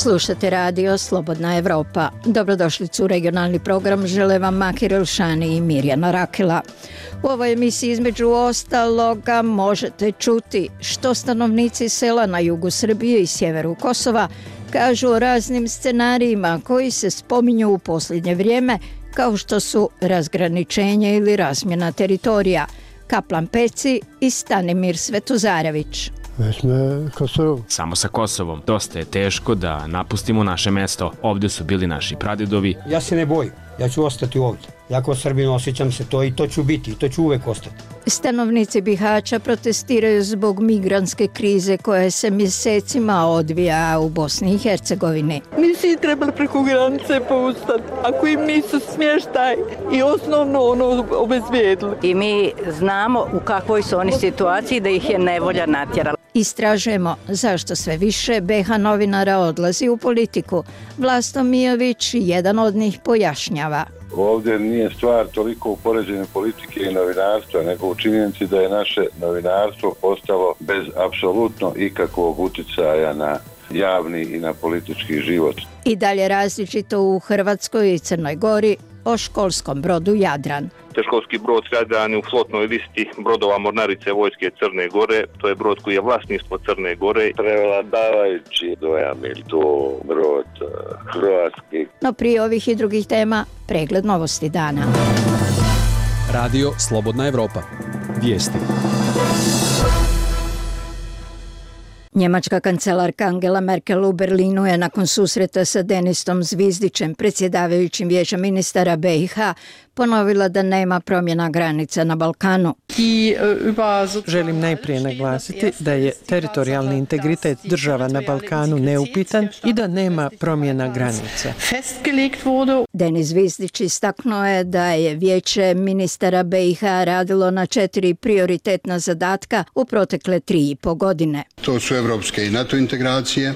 Slušate radio Slobodna Evropa. Dobrodošlicu u regionalni program žele vam Makir Elšani i Mirjana Rakela. U ovoj emisiji između ostaloga možete čuti što stanovnici sela na jugu Srbije i sjeveru Kosova kažu o raznim scenarijima koji se spominju u posljednje vrijeme, kao što su razgraničenje ili razmjena teritorija. Kaplan Peci i Stanimir Svetozarević. Samo sa Kosovom. Dosta je teško da napustimo naše mesto. Ovdje su bili naši pradedovi. Ja se ne bojim. Ja ću ostati ovdje. Ja kao Srbin osjećam se to i to ću biti i to ću uvek ostati. Stanovnici Bihaća protestiraju zbog migrantske krize koja se mjesecima odvija u Bosni i Hercegovini. Nisi trebali preko granice poustati ako im nisu smještaj i osnovno obezbijedili. I mi znamo u kakvoj su oni situaciji da ih je nevolja natjerala. Istražujemo zašto sve više BiH novinara odlazi u politiku. Vlasto Mijović, jedan od njih, pojašnjava. Ovdje nije stvar toliko u poređenju politike i novinarstva, nego u činjenici da je naše novinarstvo postalo bez apsolutno ikakvog utjecaja na javni i na politički život. I dalje različito u Hrvatskoj i Crnoj Gori o školskom brodu Jadran. Školski brod Jadran je u flotnoj listi brodova Mornarice vojske Crne Gore. To je brod koji je vlasništvo Crne Gore. Prevladavajući dojam je to brod hrvatski. No prije ovih i drugih tema, pregled novosti dana. Radio Slobodna Evropa. Vijesti. Njemačka kancelarka Angela Merkel u Berlinu je nakon susreta sa Denistom Zvizdićem, predsjedavajućim Vijećem ministara BiH, ponovila da nema promjena granica na Balkanu. Želim najprije naglasiti da je teritorijalni integritet država na Balkanu neupitan i da nema promjena granica. Denis Zvizdić istaknuo je da je Vijeće ministara BiH radilo na 4 prioritetna zadatka u protekle 3,5 godine. To su evropske i NATO integracije,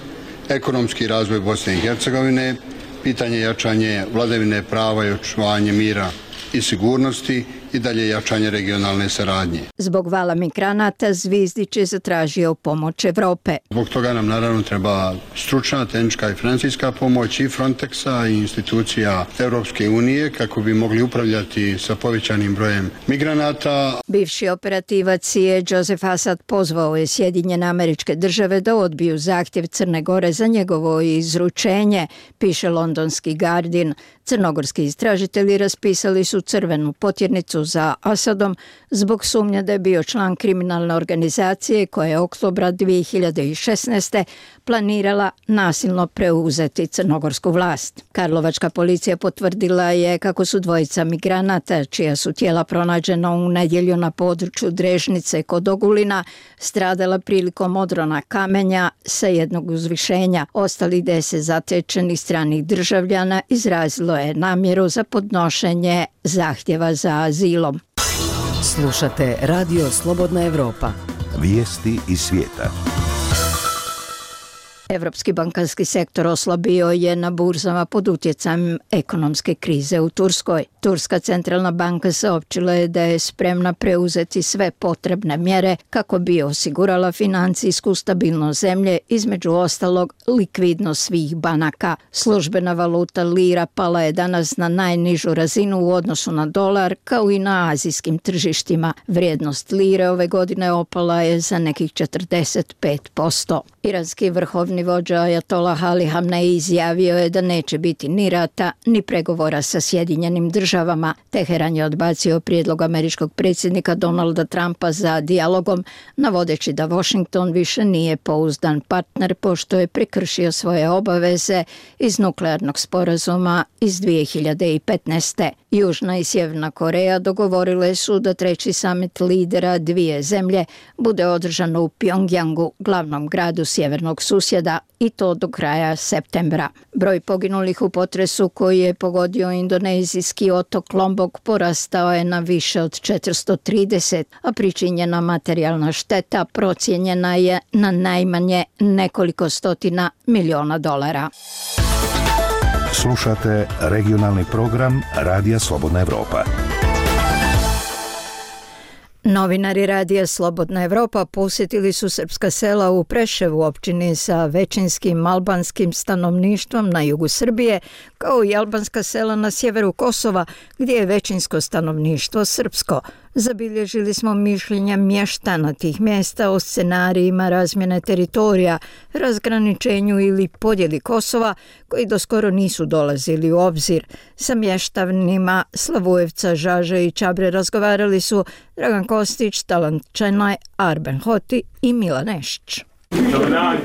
ekonomski razvoj Bosne i Hercegovine, pitanje jačanje vladavine prava i očuvanje mira i sigurnosti i dalje jačanje regionalne saradnje. Zbog vala migranata Zvizdić je zatražio pomoć Evrope. Zbog toga nam naravno treba stručna, tehnička i financijska pomoć i Frontexa i institucija Europske unije kako bi mogli upravljati sa povećanim brojem migranata. Bivši operativac CIA Joseph Assad pozvao je Sjedinjene Američke Države da odbiju zahtjev Crne Gore za njegovo izručenje, piše londonski Guardian. Crnogorski istražitelji raspisali su crvenu potjernicu za Asadom zbog sumnje da je bio član kriminalne organizacije koja je oktobra 2016. planirala nasilno preuzeti crnogorsku vlast. Karlovačka policija potvrdila je kako su dvojica migranata, čija su tijela pronađena u nedjelju na području Drežnice kod Ogulina, stradala prilikom odrona kamenja sa jednog uzvišenja. Ostali 10 zatečenih stranih državljana izrazilo je namjeru za podnošenje zahtjeva za azilom. Slušate radio Slobodna Evropa. Vijesti iz svijeta. Evropski bankarski sektor oslabio je na burzama pod utjecajem ekonomske krize u Turskoj. Turska centralna banka saopćila je da je spremna preuzeti sve potrebne mjere kako bi osigurala financijsku stabilnost zemlje, između ostalog likvidnost svih banaka. Službena valuta lira pala je danas na najnižu razinu u odnosu na dolar, kao i na azijskim tržištima. Vrijednost lire ove godine opala je za nekih 45%. Iranski vrhovni vođa Ajatolah Ali Hamnei izjavio je da neće biti ni rata, ni pregovora sa Sjedinjenim Državama. Teheran je odbacio prijedlog američkog predsjednika Donalda Trumpa za dijalogom, navodeći da Washington više nije pouzdan partner pošto je prekršio svoje obaveze iz nuklearnog sporazuma iz 2015. Južna i Sjeverna Koreja dogovorile su da 3. samit lidera dvije zemlje bude održano u Pjongjangu, glavnom gradu sjevernog susjeda, i to do kraja septembra. Broj poginulih u potresu koji je pogodio indonezijski otok Lombok porastao je na više od 430, a pričinjena materijalna šteta procijenjena je na najmanje nekoliko stotina miliona dolara. Slušate regionalni program Radija Slobodna Evropa. Novinari radija Slobodna Evropa posjetili su srpska sela u Preševu, općini sa većinskim albanskim stanovništvom na jugu Srbije, kao i albanska sela na sjeveru Kosova, gdje je većinsko stanovništvo srpsko. Zabilježili smo mišljenja mještana tih mjesta o scenarijima razmjene teritorija, razgraničenju ili podjeli Kosova, koji doskoro nisu dolazili u obzir. Sa mještanima Slavujevca, Žaže i Čabre razgovarali su Dragan Kostić, Talant Čenaj, Arben Hoti i Milan Nešić. Dobar dan.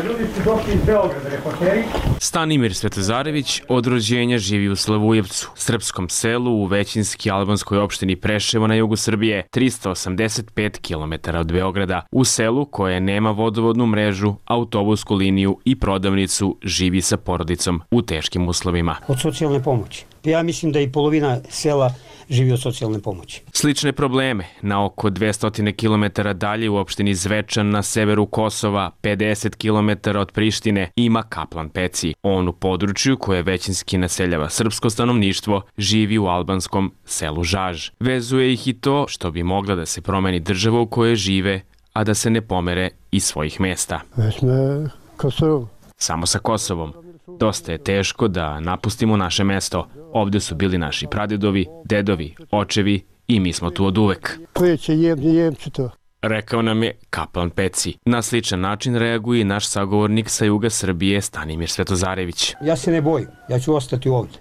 Ljudi su došli iz Beograda, reporteri. Stanimir Svetozarević od rođenja živi u Slavujevcu, srpskom selu u većinski albanskoj opštini Preševo na jugu Srbije, 385 km od Beograda. U selu koje nema vodovodnu mrežu, autobusku liniju i prodavnicu, živi sa porodicom u teškim uslovima. Od socijalne pomoći. Ja mislim da i polovina sela živi od socijalne pomoći. Slične probleme na oko 200 km dalje u opštini Zvečan na severu Kosova, 50 km od Prištine, ima Kaplan Peci. On u području koje većinski naseljava srpsko stanovništvo živi u albanskom selu Žaž. Vezuje ih i to što bi mogla da se promeni država u kojoj žive, a da se ne pomere iz svojih mjesta. Već na Kosovu. Samo sa Kosovom. Dosta je teško da napustimo naše mesto. Ovdje su bili naši pradedovi, dedovi, očevi i mi smo tu od uvek. Koji će Njemci to? Rekao nam je Kaplan Peci. Na sličan način reaguje i naš sagovornik sa juga Srbije Stanimir Svetozarević. Ja se ne bojim, ja ću ostati ovdje.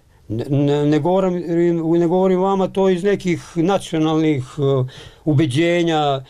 Ne govorim vama to iz nekih nacionalnih ubeđenja.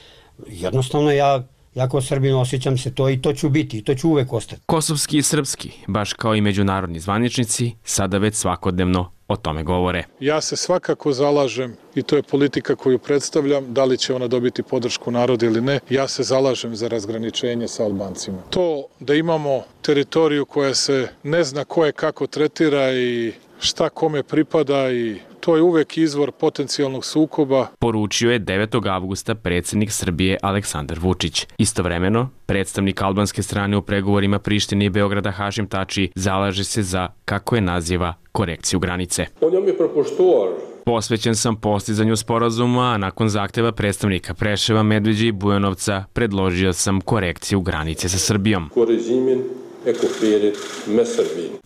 Jednostavno ja kao Srbin osjećam se to i to ću biti i to ću uvek ostati. Kosovski i srpski, baš kao i međunarodni zvaničnici, sada već svakodnevno o tome govore. Ja se svakako zalažem, i to je politika koju predstavljam, da li će ona dobiti podršku naroda ili ne, ja se zalažem za razgraničenje sa Albancima. To da imamo teritoriju koja se ne zna ko je kako tretira i šta kome pripada, i to je uvek izvor potencijalnog sukoba. Poručio je 9. avgusta predsjednik Srbije Aleksandar Vučić. Istovremeno, predstavnik albanske strane u pregovorima Prištine i Beograda Hašim Tači zalaže se za, kako je naziva, korekciju granice. Posvećen sam postizanju sporazuma, a nakon zahteva predstavnika Preševa, Medveđe i Bujanovca predložio sam korekciju granice sa Srbijom.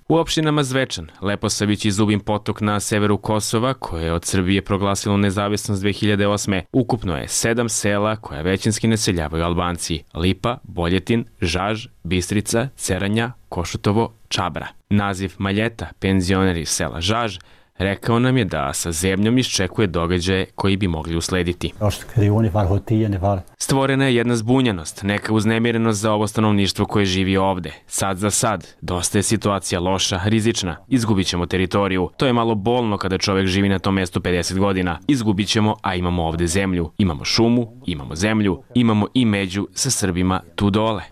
U opštinama Zvečan, Leposavić i Zubin Potok na severu Kosova, koje je od Srbije proglasilo nezavisnost 2008. ukupno je 7 sela koja većinski naseljavaju Albanci: Lipa, Boljetin, Žaž, Bistrica, Ceranja, Košutovo, Čabra. Naziv Maljeta, penzioner iz sela Žaž, rekao nam je da sa zemljom iščekuje događaje koji bi mogli uslediti. Stvorena je jedna zbunjenost, neka uznemirenost za ovo stanovništvo koje živi ovde. Sad za sad, dosta je situacija loša, rizična. Izgubit ćemo teritoriju. To je malo bolno kada čovjek živi na tom mjestu 50 godina. Izgubit ćemo, a imamo ovde zemlju. Imamo šumu, imamo zemlju, imamo i među sa Srbima tu dole.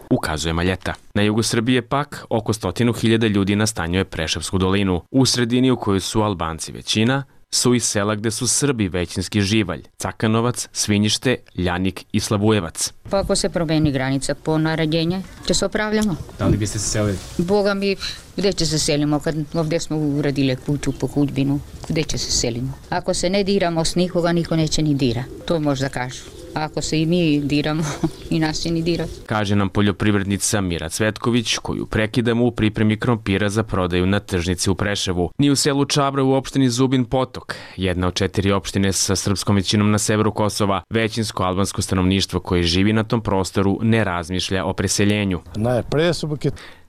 Ukazuje Maljeta. Na jugu Srbije pak oko 100.000 ljudi nastanjuje Preševsku dolinu. U sredini u kojoj su Albanci većina, su i sela gde su Srbi većinski živalj: Cakanovac, Svinjište, Ljanik i Slavujevac. Pa ako se promeni granica po naređenje, će se opravljamo. Da li biste se selili? Boga mi, gde će se selimo kad ovdje smo uradili kuću po hudbinu, gde će se selimo? Ako se ne diramo s nikoga, niko neće ni dira. To možda kažu. A ako se i mi diramo, i nas će ni dirati. Kaže nam poljoprivrednica Mira Cvetković, koju prekidamo u pripremi krompira za prodaju na tržnici u Preševu. Ni u selu Čabra u opštini Zubin Potok, jedna od 4 opštine sa srpskom većinom na severu Kosova, većinsko albansko stanovništvo koje živi na tom prostoru ne razmišlja o preseljenju.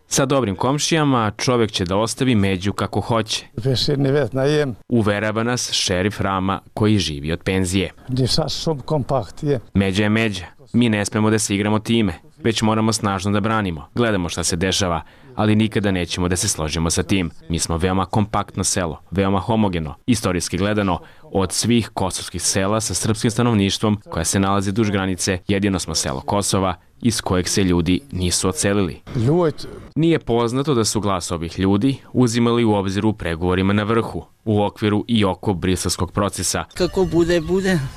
Sa dobrim komšijama čovjek će da ostavi među kako hoće. Uverava nas šerif Rama koji živi od penzije. Međa je međa. Mi ne smemo da se igramo time, već moramo snažno da branimo. Gledamo šta se dešava, ali nikada nećemo da se složimo sa tim. Mi smo veoma kompaktno selo, veoma homogeno, istorijski gledano. Od svih kosovskih sela sa srpskim stanovništvom koja se nalazi duž granice, jedino smo selo Kosova iz kojeg se ljudi nisu odselili. Nije poznato da su glas ovih ljudi uzimali u obzir u pregovorima na vrhu, u okviru i oko briselskog procesa. Kako bude,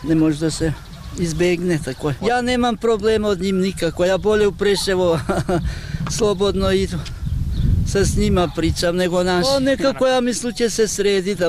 ne može da se izbegne tako. Ja nemam problema od njim nikako, ja bolje u Preševo slobodno idu. sa s njima pričam nego naš. Nekako ja mislim će se srediti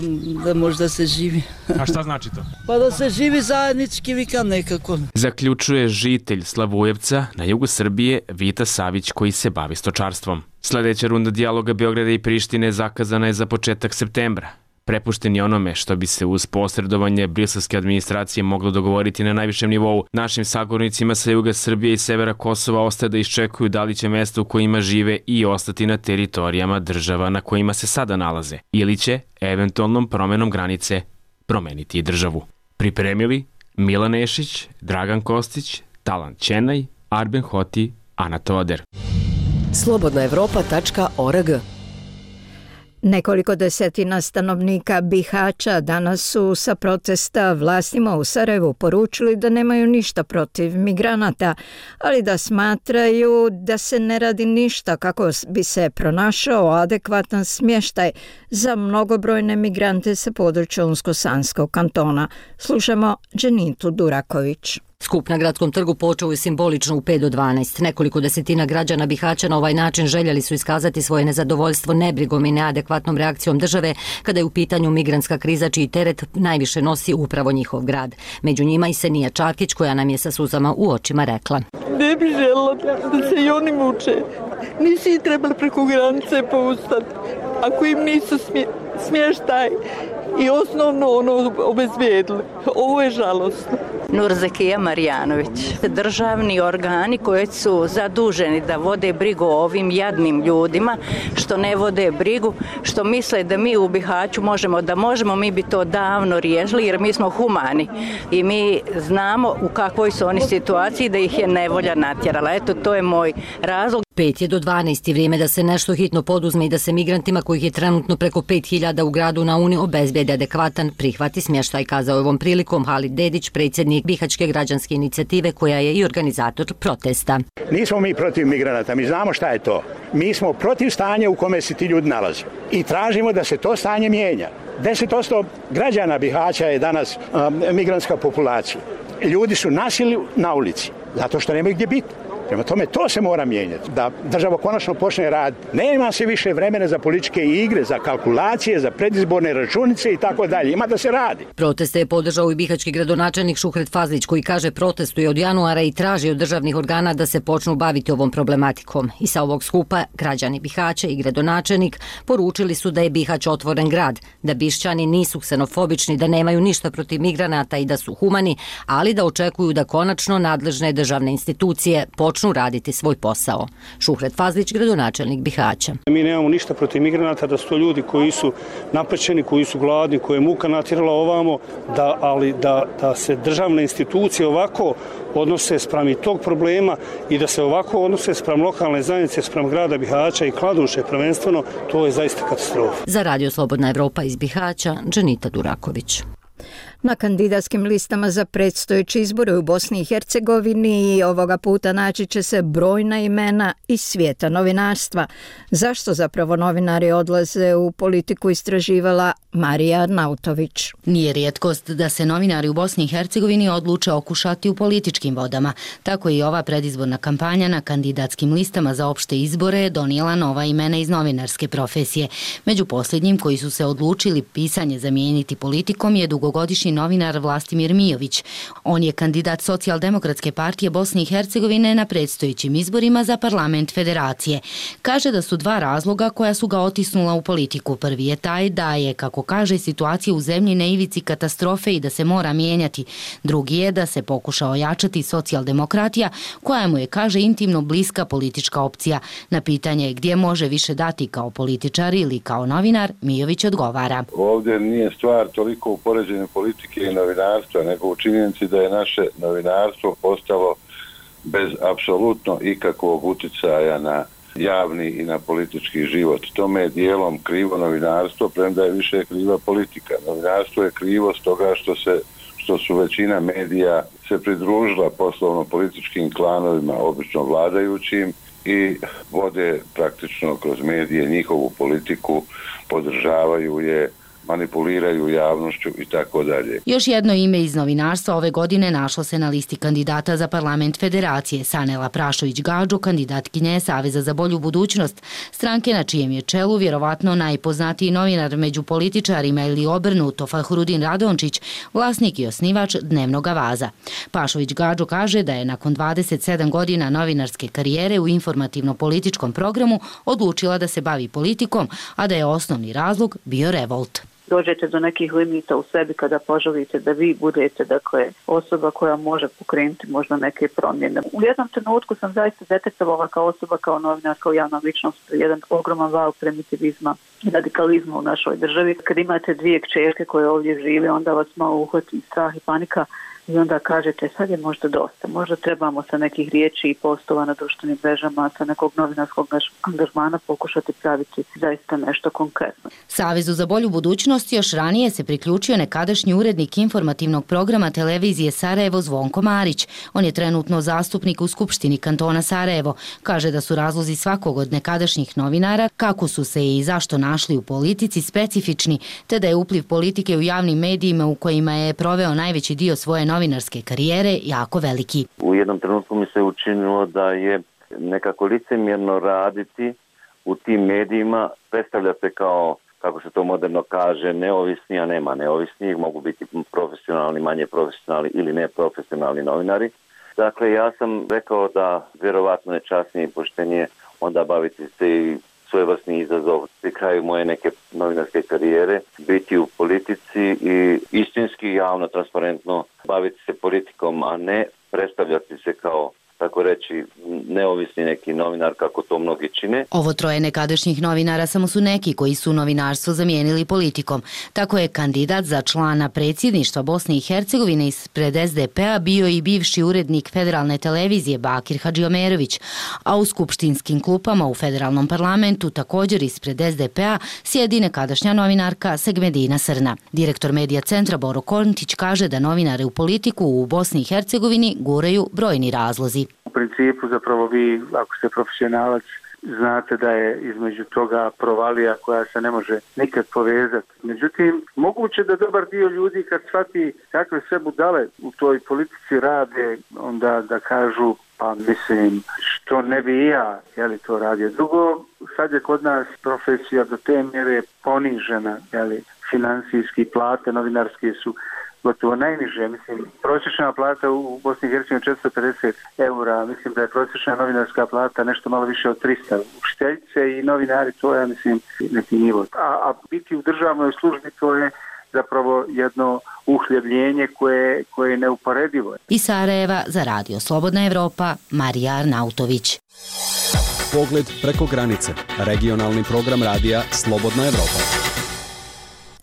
da možda se živi. A šta znači to? Pa da se živi zajednički, vikam nekako. Zaključuje žitelj Slavujevca na jugu Srbije Vita Savić koji se bavi stočarstvom. Sledeća runda dijaloga Beograda i Prištine zakazana je za početak septembra. Prepušten je onome što bi se uz posredovanje briselske administracije moglo dogovoriti na najvišem nivou. Našim sagovornicima sa juga Srbije i severa Kosova ostaje da iščekuju da li će mesta u kojima žive i ostati na teritorijama država na kojima se sada nalaze, ili će, eventualnom promenom granice, promeniti i državu. Pripremili Milan Nešić, Dragan Kostić, Talan Ćenaj, Arben Hoti, Ana Toder. Slobodnaevropa.org. Nekoliko desetina stanovnika Bihaća danas su sa protesta vlastima u Sarajevu poručili da nemaju ništa protiv migranata, ali da smatraju da se ne radi ništa kako bi se pronašao adekvatan smještaj za mnogobrojne migrante sa područja Unsko-Sanskog kantona. Slušamo Dženitu Duraković. Skup na gradskom trgu počeo je simbolično u 5 do 12. Nekoliko desetina građana Bihaća na ovaj način željeli su iskazati svoje nezadovoljstvo nebrigom i neadekvatnom reakcijom države kada je u pitanju migrantska kriza čiji teret najviše nosi upravo njihov grad. Među njima i Senija Čakić koja nam je sa suzama u očima rekla: Ne bi žela da se i oni muče. Nisi trebali preko granice poustati. Ako im nisu smještaj i osnovno obezbijedili. Ovo je žalostno. Nurzekija Marjanović. Državni organi koji su zaduženi da vode brigu o ovim jadnim ljudima, što ne vode brigu, što misle da mi u Bihaću možemo, mi bi to davno riješili jer mi smo humani i mi znamo u kakvoj su oni situaciji da ih je nevolja natjerala. Eto, to je moj razlog. 5 je do 12 vrijeme da se nešto hitno poduzme i da se migrantima kojih je trenutno preko 5000 u gradu na Uni obezbijedi adekvatan prihvati smještaj, kazao je ovom prilikom Halid Dedić, predsjednik Bihaćke građanske inicijative koja je i organizator protesta. Nismo mi protiv migranata, mi znamo šta je to. Mi smo protiv stanja u kome se ti ljudi nalaze i tražimo da se to stanje mijenja. 10% građana Bihaća je danas migrantska populacija. Ljudi su nasili na ulici zato što nemaju gdje biti. Prema tome, to se mora mijenjati, da država konačno počne rad. Nema se više vremena za političke igre, za kalkulacije, za predizborne računice i tako dalje. Ima da se radi. Proteste je podržao i bihaćki gradonačelnik Šuhret Fazlić koji kaže protestuje od januara i traži od državnih organa da se počnu baviti ovom problematikom. I sa ovog skupa građani Bihaća i gradonačelnik poručili su da je Bihać otvoren grad, da Bišćani nisu ksenofobični, da nemaju ništa protiv migranata i da su humani, ali da očekuju da konačno nadležne državne institucije počnu raditi svoj posao. Šuhret Fazlić, gradonačelnik Bihaća. Mi nemamo ništa protiv migranata, da su to ljudi koji su napaćeni, koji su gladni, koje je muka natjerala ovamo, ali da se državne institucije ovako odnose spram i tog problema i da se ovako odnose spram lokalne zajednice, spram grada Bihaća i Kladuše prvenstveno, to je zaista katastrofa. Za Radio Slobodna Evropa iz Bihaća, Dženita Duraković. Na kandidatskim listama za predstojeće izbore u Bosni i Hercegovini i ovoga puta naći će se brojna imena iz svijeta novinarstva. Zašto zapravo novinari odlaze u politiku, istraživala Marija Arnautović. Nije rijetkost da se novinari u Bosni i Hercegovini odluče okušati u političkim vodama. Tako i ova predizborna kampanja na kandidatskim listama za opšte izbore je donijela nova imena iz novinarske profesije. Među posljednjim koji su se odlučili pisanje zamijeniti politikom je dugogodišnji novinar Vlastimir Mijović. On je kandidat Socijaldemokratske partije Bosne i Hercegovine na predstojećim izborima za parlament federacije. Kaže da su dva razloga koja su ga otisnula u politiku. Prvi je taj da je, kako kaže, situacija u zemlji na ivici katastrofe i da se mora mijenjati. Drugi je da se pokuša ojačati socijaldemokratija koja mu je, kaže, intimno bliska politička opcija. Na pitanje gdje može više dati kao političar ili kao novinar, Mijović odgovara. Ovdje nije stvar toliko u poređenju politike i novinarstva, nego u činjenici da je naše novinarstvo postalo bez apsolutno ikakvog uticaja na javni i na politički život. Tome je dijelom krivo novinarstvo, premda je više kriva politika. Novinarstvo je krivo stoga što su većina medija se pridružila poslovno-političkim klanovima, obično vladajućim, i vode praktično kroz medije njihovu politiku, podržavaju je, manipuliraju javnošću i tako dalje. Još jedno ime iz novinarstva ove godine našlo se na listi kandidata za parlament Federacije. Sanela Prašović-Gadžo, kandidatkinja Saveza za bolju budućnost, stranke na čijem je čelu vjerovatno najpoznatiji novinar među političarima ili obrnuto Fahrudin Radončić, vlasnik i osnivač Dnevnog Avaza. Pašović-Gadžo kaže da je nakon 27 godina novinarske karijere u informativno-političkom programu odlučila da se bavi politikom, a da je osnovni razlog bio revolt. Dođete do nekih limita u sebi kada poželite da vi budete osoba koja može pokrenuti možda neke promjene. U jednom trenutku sam zaista detektovala kao osoba, kao novinar, kao javna ličnost, jedan ogroman val primitivizma i radikalizma u našoj državi. Kad imate dvije kćerke koje ovdje žive, onda vas malo uhvati strah i panika i onda kažete sad je možda dosta, možda trebamo sa nekih riječi i postova na društvenim mrežama, sa nekog novinarskog angažmana pokušati praviti zaista nešto konkretno. Savezu za bolju budućnost još ranije se priključio nekadašnji urednik informativnog programa televizije Sarajevo Zvonko Marić. On je trenutno zastupnik u Skupštini kantona Sarajevo. Kaže da su razlozi svakog od nekadašnjih novinara, kako su se i zašto našli u politici, specifični, te da je upliv politike u javnim medijima u kojima je proveo najveći dio svoje novinarske karijere jako veliki. U jednom trenutku mi se učinilo da je nekako licemjerno raditi u tim medijima, predstavlja se kao, kako se to moderno kaže, neovisni, a nema neovisnih, mogu biti profesionalni, manje profesionalni ili neprofesionalni novinari. Dakle, ja sam rekao da vjerovatno je časnije i poštenije onda baviti se i svojevrsni izazov pri kraju moje neke novinarske karijere, biti u politici i istinski, javno, transparentno baviti se politikom, a ne predstavljati se kao, tako reći, neovisni neki novinar kako to mnogi čine. Ovo troje nekadašnjih novinara samo su neki koji su novinarstvo zamijenili politikom. Tako je kandidat za člana predsjedništva Bosne i Hercegovine ispred SDP-a bio i bivši urednik federalne televizije Bakir Hadžiomerović, a u skupštinskim klupama u federalnom parlamentu također ispred SDP-a sjedi nekadašnja novinarka Segmedina Srna. Direktor medija centra Boro Kontić kaže da novinare u politiku u Bosni i Hercegovini guraju brojni razlozi. U principu zapravo vi, ako ste profesionalac, znate da je između toga provalija koja se ne može nikad povezati. Međutim, moguće da dobar dio ljudi kad shvati kakve sve budale u toj politici rade, onda da kažu pa mislim što ne bi ja to radio. Drugo, sad je kod nas profesija do te mjere ponižena, financijski plate novinarske su gotovo najniže. Mislim, prosječna plata u Bosni i Hercegovini 450 eura, mislim da je prosječna novinarska plata nešto malo više od 300. Učiteljice i novinari, to je, mislim, neki nivo. A biti u državnoj službi, to je zapravo jedno uhljebljenje koje je neuporedivo. Iz Sarajeva za Radio Slobodna Evropa, Marija Arnautović. Pogled preko granice. Regionalni program radija Slobodna Evropa.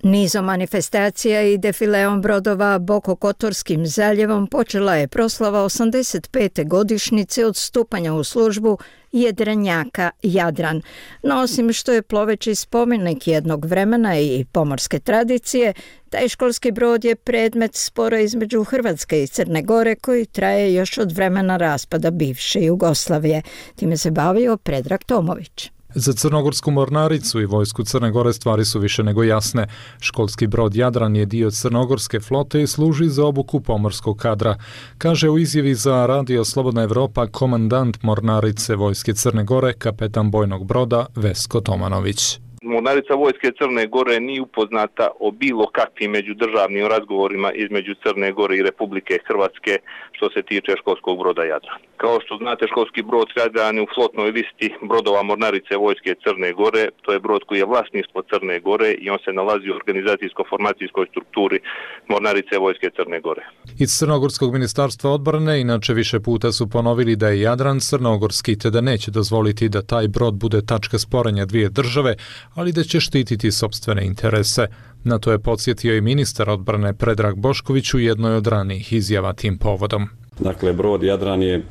Nizom manifestacija i defileom brodova Bokokotorskim zaljevom počela je proslava 85. godišnjice od stupanja u službu jedrenjaka Jadran. No osim što je ploveći spomenik jednog vremena i pomorske tradicije, taj školski brod je predmet spora između Hrvatske i Crne Gore koji traje još od vremena raspada bivše Jugoslavije. Time se bavio Predrag Tomović. Za Crnogorsku mornaricu i vojsku Crne Gore stvari su više nego jasne. Školski brod Jadran je dio Crnogorske flote i služi za obuku pomorskog kadra. Kaže u izjavi za Radio Slobodna Evropa komandant mornarice vojske Crne Gore, kapetan bojnog broda Vesko Tomanović. Mornarica vojske Crne Gore nije upoznata o bilo kakvim međudržavnim razgovorima između Crne Gore i Republike Hrvatske što se tiče školskog broda Jadran. Kao što znate, školski brod Jadran je u flotnoj listi brodova Mornarice vojske Crne Gore. To je brod koji je vlasništvo Crne Gore i on se nalazi u organizacijsko-formacijskoj strukturi Mornarice vojske Crne Gore. Iz Crnogorskog ministarstva odbrane inače više puta su ponovili da je Jadran crnogorski te da neće dozvoliti da taj brod bude tačka sporenja dvije države, ali da će štititi sopstvene interese. Na to je podsjetio i ministar odbrane Predrag Bošković u jednoj od ranijih izjava tim povodom. Dakle, brod Jadran je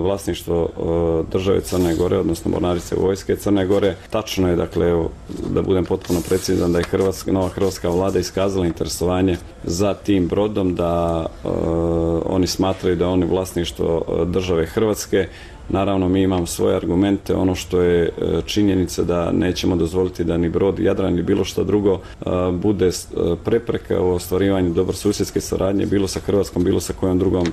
vlasništvo države Crne Gore, odnosno Mornarice vojske Crne Gore. Tačno je, dakle, evo, da budem potpuno precizan, da je nova hrvatska vlada iskazala interesovanje za tim brodom, da oni smatraju da oni vlasništvo države Hrvatske Naravno, mi imamo svoje argumente, ono što je činjenica da nećemo dozvoliti da ni brod Jadran ni bilo što drugo bude prepreka u ostvarivanju dobrosusjedske saradnje, bilo sa Hrvatskom, bilo sa kojom drugom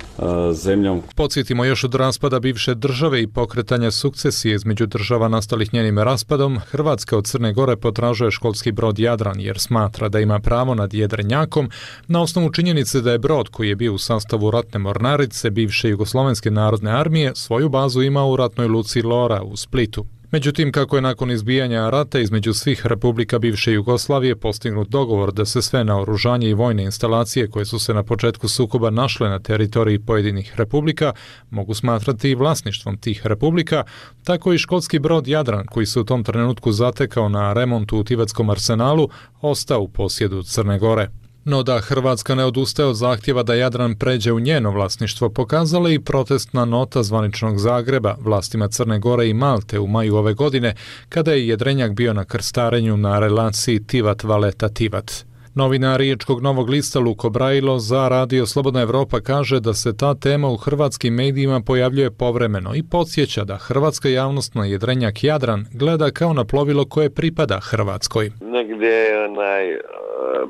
zemljom. Podsjetimo, još od raspada bivše države i pokretanja sukcesije između država nastalih njenim raspadom, Hrvatska od Crne Gore potražuje školski brod Jadran jer smatra da ima pravo nad jedrenjakom na osnovu činjenice da je brod koji je bio u sastavu ratne mornarice bivše Jugoslovenske narodne armije svoju bazu ima u ratnoj luci Lora u Splitu. Međutim, kako je nakon izbijanja rata između svih republika bivše Jugoslavije postignut dogovor da se sve naoružanje i vojne instalacije koje su se na početku sukoba našle na teritoriji pojedinih republika mogu smatrati i vlasništvom tih republika, tako i školski brod Jadran koji se u tom trenutku zatekao na remontu u Tivatskom arsenalu ostao u posjedu Crne Gore. No da Hrvatska ne odustaje od zahtjeva da Jadran pređe u njeno vlasništvo pokazala i protestna nota zvaničnog Zagreba vlastima Crne Gore i Malte u maju ove godine, kada je jedrenjak bio na krstarenju na relaciji Tivat-Valeta-Tivat. Novinar Riječkog Novog lista Luko Brajilo za Radio Slobodna Evropa kaže da se ta tema u hrvatskim medijima pojavljuje povremeno i podsjeća da hrvatska javnost na jedrenjak Jadran gleda kao na plovilo koje pripada Hrvatskoj. Negdje je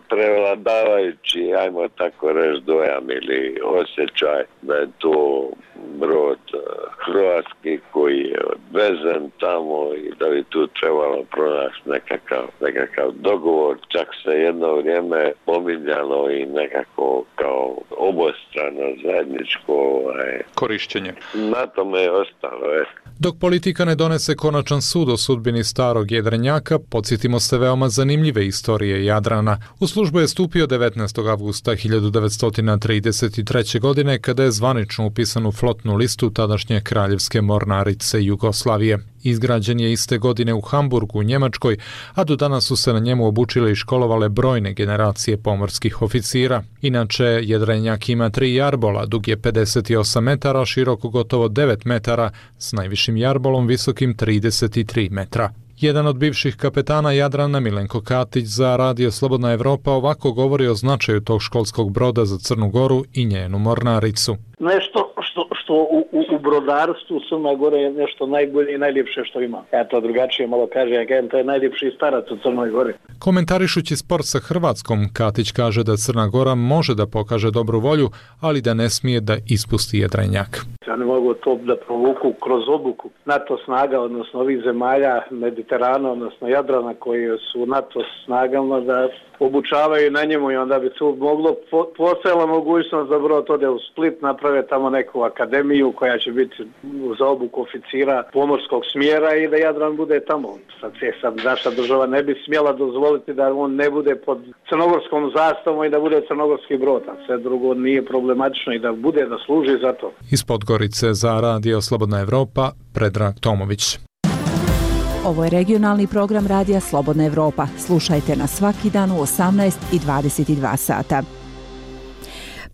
prevladavajući, ajmo tako reći, dojam ili osjećaj da je to brod hrvatski koji je odvezen tamo i da bi tu trebalo pronaći nekakav dogovor. Čak se jedno vrijeme pominjalo i nekako kao obostrano zajedničko korišćenje. Na tome je ostalo. Dok politika ne donese konačan sud o sudbini starog jedrenjaka, podsjetimo se veoma zanimljive istorije Jadrana. U službu je stupio 19. avgusta 1933. godine kada je zvanično upisan u flotnu listu tadašnje kraljevske mornarice Jugoslavije. Izgrađen je iste godine u Hamburgu, u Njemačkoj, a do danas su se na njemu obučile i školovale brojne generacije pomorskih oficira. Inače, jedrenjak ima 3 jarbola, dug je 58 metara, široko gotovo 9 metara, s najvišim jarbolom visokim 33 metra. Jedan od bivših kapetana Jadrana, Milenko Katić, za Radio Slobodna Evropa ovako govori o značaju tog školskog broda za Crnu Goru i njenu mornaricu. Nešto što u brodarstvu Crna Gora je nešto najbolje i najljepše što ima. Ja to drugačije malo kažem, to je najljepši starac u Crnoj Gori. Komentarišući sport sa Hrvatskom, Katić kaže da Crna Gora može da pokaže dobru volju, ali da ne smije da ispusti jedrenjak. Oni mogu to da provuku kroz obuku NATO snaga, odnosno ovih zemalja Mediterana, odnosno Jadrana koji su u NATO snagama da obučavaju na njemu i onda bi tu moglo postojala mogućnost da brod ode u Split, naprave tamo neku akademiju koja će biti za obuku oficira pomorskog smjera i da Jadran bude tamo. Sad naša država ne bi smjela dozvoliti da on ne bude pod crnogorskom zastavom i da bude crnogorski brod, a sve drugo nije problematično i da bude, da služi za to. Iz Podgorice za Radio Slobodna Evropa, Predrag Tomović. Ovo je regionalni program Radija Slobodna Evropa. Slušajte nas svaki dan u 18 i 22 sata.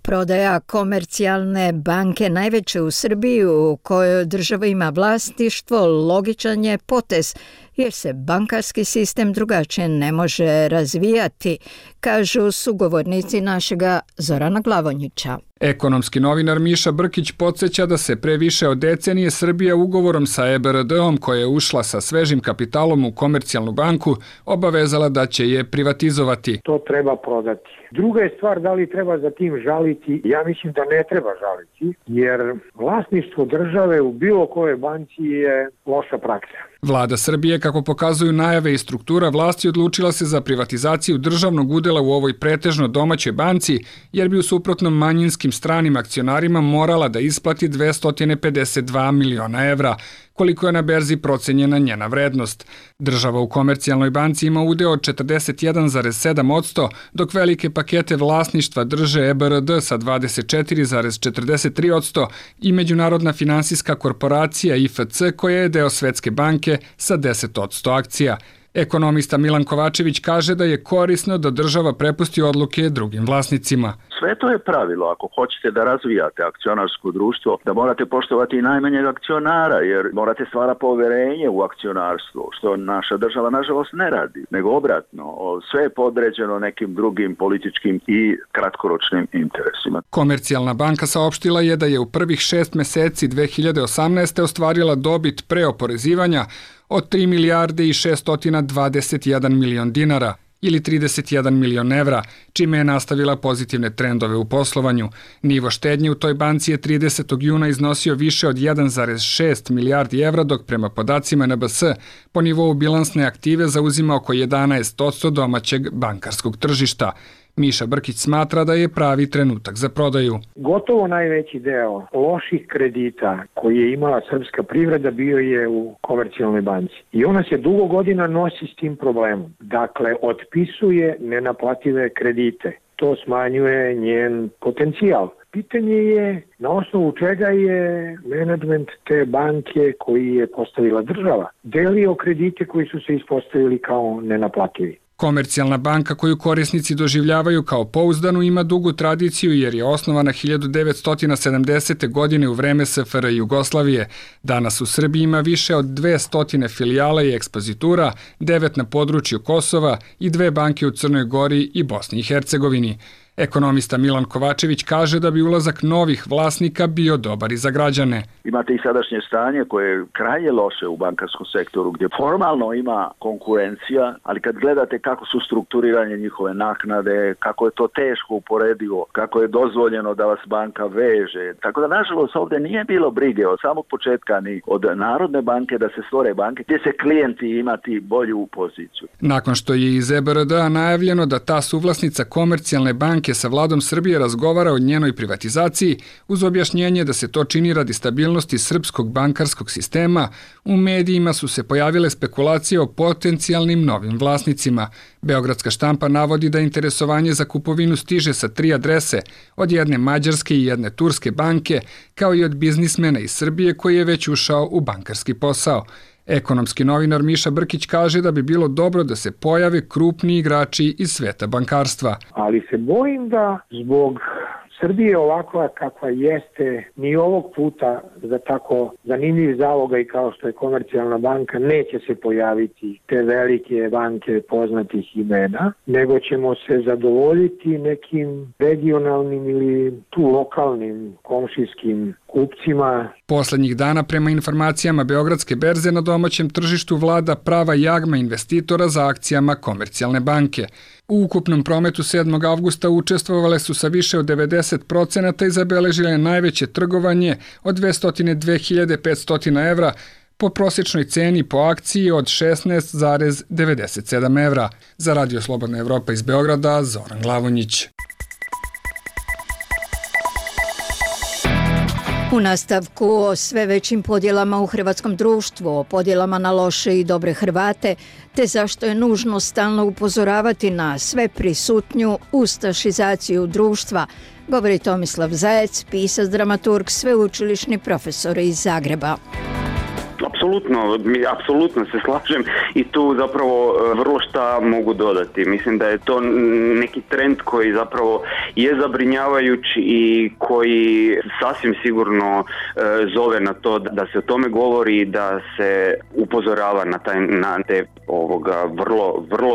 Prodaja komercijalne banke najveće u Srbiji u kojoj država ima vlasništvo logičan je potez jer se bankarski sistem drugačije ne može razvijati, kažu sugovornici našega Zorana Glavonjića. Ekonomski novinar Miša Brkić podsjeća da se pre više od decenije Srbija ugovorom sa EBRD-om koja je ušla sa svežim kapitalom u komercijalnu banku obavezala da će je privatizovati. To treba prodati. Druga je stvar da li treba za tim žaliti. Ja mislim da ne treba žaliti jer vlasništvo države u bilo kojoj banci je loša praksa. Vlada Srbije, kako pokazuju najave i struktura vlasti, odlučila se za privatizaciju državnog udela u ovoj pretežno domaćoj banci, jer bi u suprotnom manjinskim stranim akcionarima morala da isplati 252 miliona evra, koliko je na berzi procenjena njena vrednost. Država u komercijalnoj banci ima udeo od 41,7%, dok velike pakete vlasništva drže EBRD sa 24,43% i Međunarodna finansijska korporacija IFC koja je deo Svetske banke sa 10% akcija. Ekonomista Milan Kovačević kaže da je korisno da država prepusti odluke drugim vlasnicima. sve to je pravilo. Ako hoćete da razvijate akcionarsko društvo, da morate poštovati i najmanjeg akcionara, jer morate stvarati povjerenje u akcionarstvo, što naša država nažalost ne radi, nego obratno. Sve je podređeno nekim drugim političkim i kratkoročnim interesima. Komercijalna banka saopštila je da je u prvih 6 meseci 2018. ostvarila dobit pre oporezivanja od 3 milijarde i 621 milion dinara ili 31 milion evra, čime je nastavila pozitivne trendove u poslovanju. Nivo štednje u toj banci je 30. juna iznosio više od 1,6 milijardi evra, dok prema podacima NBS po nivou bilansne aktive zauzima oko 11% domaćeg bankarskog tržišta. Miša Brkić smatra da je pravi trenutak za prodaju. Gotovo najveći deo loših kredita koji je imala srpska privreda bio je u Komercijalnoj banci. I ona se dugo godina nosi s tim problemom. Dakle, otpisuje nenaplative kredite. To smanjuje njen potencijal. Pitanje je na osnovu čega je menadžment te banke koji je postavila država delio kredite koji su se ispostavili kao nenaplativi. Komercijalna banka koju korisnici doživljavaju kao pouzdanu ima dugu tradiciju jer je osnovana 1970. godine u vreme SFRJ Jugoslavije. Danas u Srbiji ima više od 200 filijala i ekspozitura, 9 na području Kosova i 2 banke u Crnoj Gori i Bosni i Hercegovini. Ekonomista Milan Kovačević kaže da bi ulazak novih vlasnika bio dobar i za građane. Imate i sadašnje stanje koje je krajnje loše u bankarskom sektoru gdje formalno ima konkurencija, ali kad gledate kako su strukturiranje njihove naknade, kako je to teško uporedivo, kako je dozvoljeno da vas banka veže. Tako da nažalost ovdje nije bilo brige od samog početka ni od Narodne banke da se stvore banke gdje se klijenti imati bolju poziciju. Nakon što je iz EBRD-a najavljeno da ta suvlasnica Komercijalne banke sa vladom Srbije razgovara o njenoj privatizaciji uz objašnjenje da se to čini radi stabilnosti srpskog bankarskog sistema, u medijima su se pojavile spekulacije o potencijalnim novim vlasnicima. Beogradska štampa navodi da interesovanje za kupovinu stiže sa 3 adrese, od jedne mađarske i jedne turske banke, kao i od biznismena iz Srbije koji je već ušao u bankarski posao. Ekonomski novinar Miša Brkić kaže da bi bilo dobro da se pojave krupni igrači iz sveta bankarstva. Ali se bojim da zbog Srbije ovakva kakva jeste, ni ovog puta za tako zanimljiv zalogaj kao što je Komercijalna banka neće se pojaviti te velike banke poznatih imena, nego ćemo se zadovoljiti nekim regionalnim ili tu lokalnim komšijskim kupcima. Poslednjih dana prema informacijama Beogradske berze na domaćem tržištu vlada prava jagma investitora za akcijama Komercijalne banke. U ukupnom prometu 7. avgusta učestvovale su sa više od 90% i zabeležile najveće trgovanje od 202.500 evra po prosječnoj ceni po akciji od 16,97 evra. Za Radio Slobodna Evropa iz Beograda, Zoran Glavonjić. U nastavku o sve većim podjelama u hrvatskom društvu, o podjelama na loše i dobre Hrvate, te zašto je nužno stalno upozoravati na sve prisutniju ustašizaciju društva, govori Tomislav Zajec, pisac, dramaturg, sveučilišni profesor iz Zagreba. Apsolutno se slažem i tu zapravo vrlo šta mogu dodati. Mislim da je to neki trend koji zapravo je zabrinjavajući i koji sasvim sigurno zove na to da se o tome govori, da se upozorava na te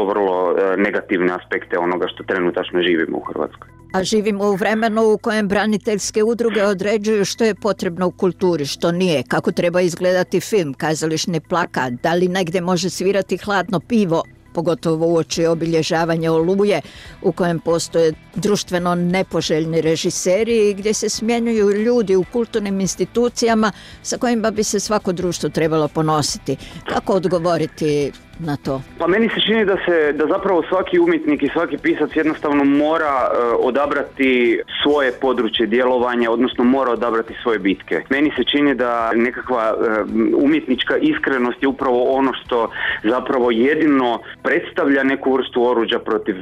vrlo negativne aspekte onoga što trenutačno živimo u Hrvatskoj. A živimo u vremenu u kojem braniteljske udruge određuju što je potrebno u kulturi, što nije, kako treba izgledati film, kazališni plakat, da li negdje može svirati hladno pivo, pogotovo uoči obilježavanja Oluje, u kojem postoje društveno nepoželjni režiseri i gdje se smjenjuju ljudi u kulturnim institucijama sa kojima bi se svako društvo trebalo ponositi. Kako odgovoriti na to? Pa meni se čini da zapravo svaki umjetnik i svaki pisac jednostavno mora odabrati svoje područje djelovanja, odnosno mora odabrati svoje bitke. Meni se čini da nekakva umjetnička iskrenost je upravo ono što zapravo jedino predstavlja neku vrstu oruđa protiv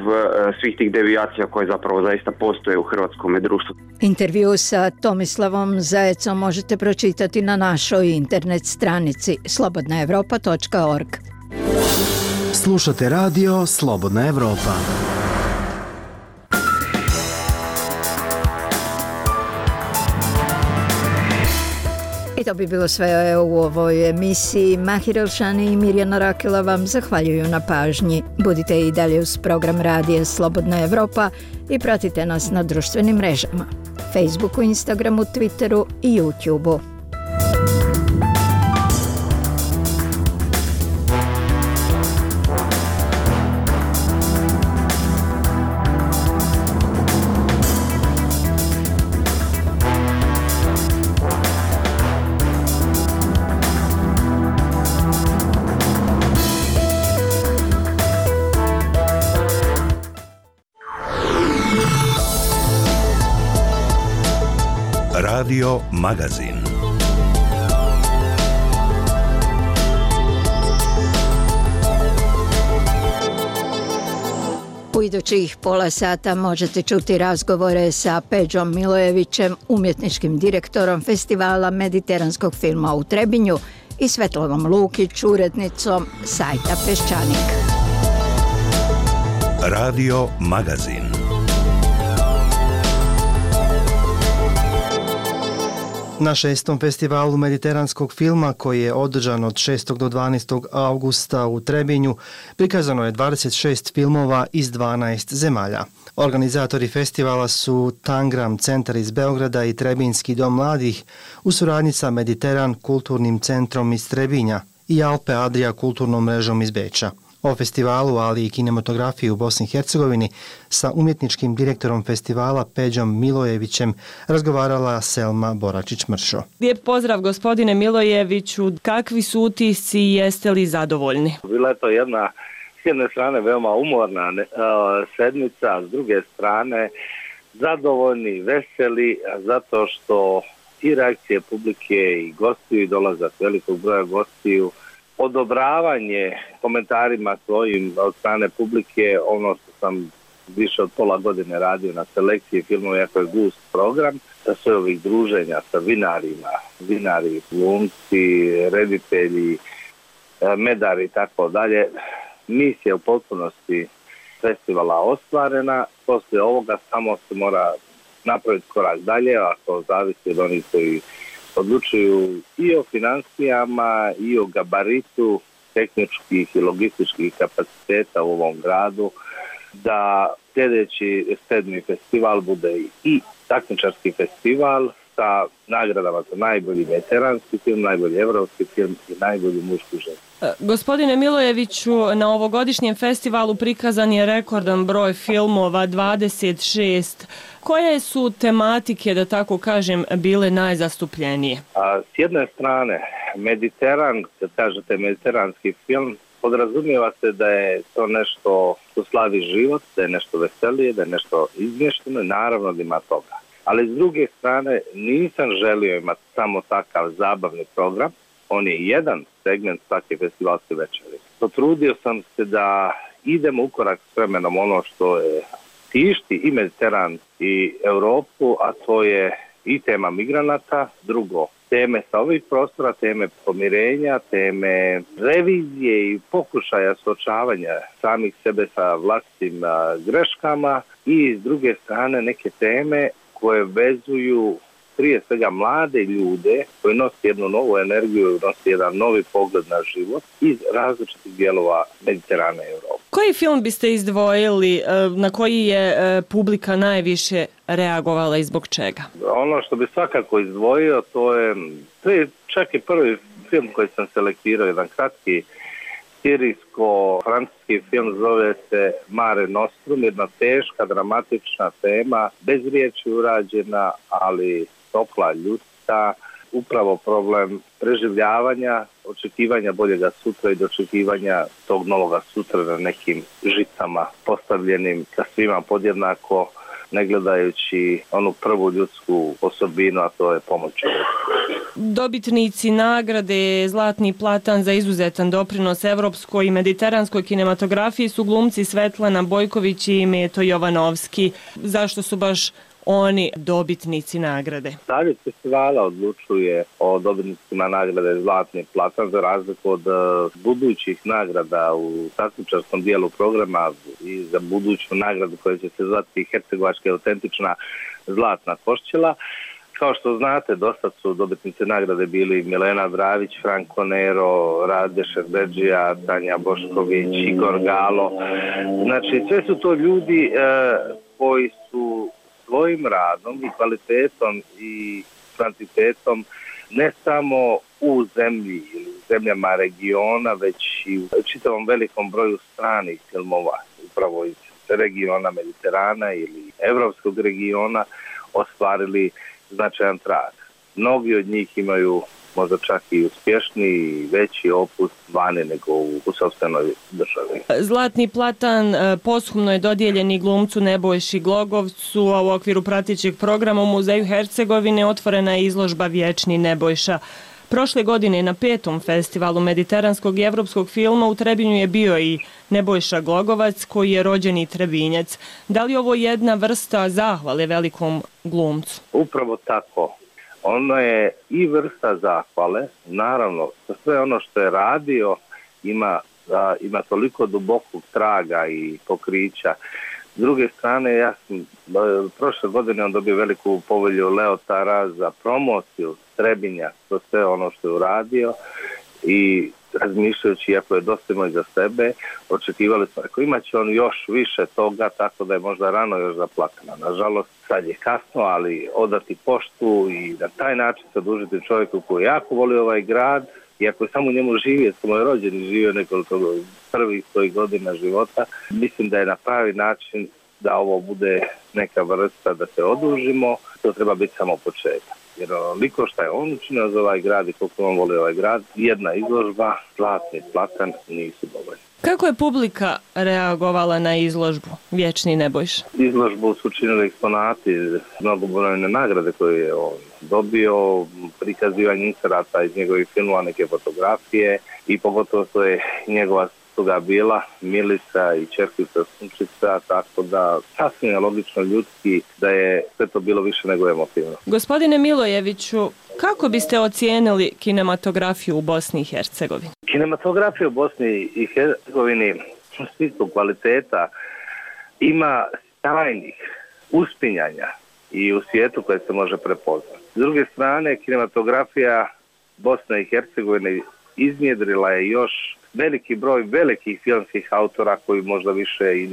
svih tih devijacija koje zapravo zaista postoje u hrvatskom društvu. Intervju sa Tomislavom Zajecom možete pročitati na našoj internet stranici slobodnaevropa.org. Slušate radio Slobodna Evropa. I to bi bilo sve u ovoj emisiji. Mahir Elšani i Mirjana Rakela vam zahvaljuju na pažnji. Budite i dalje uz program Radija Slobodna Evropa i pratite nas na društvenim mrežama. Facebooku, Instagramu, Twitteru i YouTubeu. Radio Magazin. U idućih pola sata možete čuti razgovore sa Peđom Milojevićem, umjetničkim direktorom festivala mediteranskog filma u Trebinju, i Svetlanom Lukić, urednicom sajta Peščanik. Radio Magazin. Na 6. festivalu mediteranskog filma, koji je održan od 6. do 12. augusta u Trebinju, prikazano je 26 filmova iz 12 zemalja. Organizatori festivala su Tangram centar iz Beograda i Trebinjski dom mladih u suradnji sa Mediteran kulturnim centrom iz Trebinja i Alpe Adria kulturnom mrežom iz Beča. O festivalu, ali i kinematografiji u Bosni i Hercegovini sa umjetničkim direktorom festivala Peđom Milojevićem razgovarala Selma Boračić-Mršo. Lijep pozdrav gospodine Milojeviću, kakvi su utisci i jeste li zadovoljni? Bila je to jedna, s jedne strane veoma umorna sedmica, a s druge strane zadovoljni, veseli, zato što i reakcije publike i gostiju i dolazak velikog broja gostiju, odobravanje komentarima svojim od strane publike, ono što sam više od pola godine radio na selekciji filmova, jako je gust program, sa sve ovih druženja sa vinari, glumci, reditelji, medari i tako dalje. Misija u potpunosti festivala ostvarena, poslije ovoga samo se mora napraviti korak dalje, a to zavisi od onih koji odlučuju i o financijama i o gabaritu tehničkih i logističkih kapaciteta u ovom gradu, da sljedeći 7. festival bude i takmičarski festival sa nagradama za najbolji veteranski film, najbolji evropski film i najbolji muški žen. Gospodine Milojeviću, na ovogodišnjem festivalu prikazan je rekordan broj filmova, 26. Koje su tematike, da tako kažem, bile najzastupljenije? S jedne strane, Mediteran, kad kažete mediteranski film, podrazumijeva se da je to nešto što slavi život, da je nešto veselije, da je nešto izmješteno i naravno da ima toga. Ali s druge strane nisam želio imati samo takav zabavni program, on je jedan segment svake festivalske večeri. Potrudio sam se da idemo u korak s vremenom ono što je tišti i Mediteran i Europu, a to je i tema migranata, drugo, teme sa ovih prostora, teme pomirenja, teme revizije i pokušaja suočavanja samih sebe sa vlastitim greškama i s druge strane neke teme koje vezuju prije svega mlade ljude koji nose jednu novu energiju, nose jedan novi pogled na život iz različitih dijelova Mediterana i Europe. Koji film biste izdvojili, na koji je publika najviše reagovala i zbog čega? Ono što bi svakako izdvojio, to je čak i prvi film koji sam selektirao, jedan kratki sirijsko-francuski film, zove se Mare Nostrum, jedna teška, dramatična tema, bez riječi urađena, ali topla, ljudska, upravo problem preživljavanja, očekivanja boljega sutra i dočekivanja tog novoga sutra na nekim žicama postavljenim sa svima podjednako, ne gledajući onu prvu ljudsku osobinu, a to je pomoć čovjeku. Dobitnici nagrade Zlatni platan za izuzetan doprinos evropskoj i mediteranskoj kinematografiji su glumci Svetlana Bojković i Meto Jovanovski. Zašto su baš oni dobitnici nagrade? Savjet festivala odlučuje o dobitnicima nagrade Zlatni platan za razliku od budućih nagrada u takmičarskom dijelu programa i za buduću nagradu koja će se zvati Hercegovačka autentična Zlatna koščila. Kao što znate, dosta su dobitnice nagrade bili Milena Dravić, Franko Nero, Rade Šerbedžija, Tanja Bošković, Igor Galo. Znači, sve su to ljudi koji su svojim radom i kvalitetom i kvantitetom ne samo u zemlji ili u zemljama regiona, već i u čitavom velikom broju stranih filmova, upravo iz regiona Mediterana ili evropskog regiona, ostvarili značajan trag. Mnogi od njih imaju možda čak i uspješni i veći opus vani nego u sopstvenoj državi. Zlatni platan posthumno je dodijeljen i glumcu Nebojši Glogovcu, a u okviru pratećeg programa u Muzeju Hercegovine otvorena je izložba Vječni Nebojša. Prošle godine na 5. festivalu mediteranskog i evropskog filma u Trebinju je bio i Nebojša Glogovac, koji je rođeni Trebinjac. Da li ovo jedna vrsta zahvale velikom glumcu? Upravo tako. Ono je i vrsta zahvale, naravno, sve ono što je radio ima toliko dubokog traga i pokrića. S druge strane, ja sam prošle godine on dobio veliku povelju Leotara za promociju Trebinja, to sve ono što je uradio i razmišljajući, iako je dosta imao za sebe, očekivali smo, ako imat će on još više toga, tako da je možda rano još zaplakana. Nažalost, sad je kasno, ali odati poštu i na taj način se odužiti čovjeku koji jako voli ovaj grad, iako je samo u njemu živio, samo je rođen i živio nekoliko prvih svojih godina života, mislim da je na pravi način da ovo bude neka vrsta da se odužimo, to treba biti samo početak. Jer onoliko što je on učinio za ovaj grad i koliko on voli ovaj grad, jedna izložba, zlatni platan nisu dovoljni. Kako je publika reagovala na izložbu Vječni Nebojša? Izložbu su učinili eksponati, mnogobrojne nagrade koje je on dobio, prikazivanje inserata iz njegovih filmova, neke fotografije i pogotovo to je njegova toga bila Milisa i čerkica Sunčica, tako da sasvim je logično ljudski da je sve to bilo više nego emotivno. Gospodine Milojeviću, kako biste ocijenili kinematografiju u Bosni i Hercegovini? Kinematografija u Bosni i Hercegovini u smislu kvaliteta ima sjajnih uspinjanja i u svijetu koje se može prepoznati. S druge strane, kinematografija Bosne i Hercegovine iznjedrila je još veliki broj velikih filmskih autora koji možda više i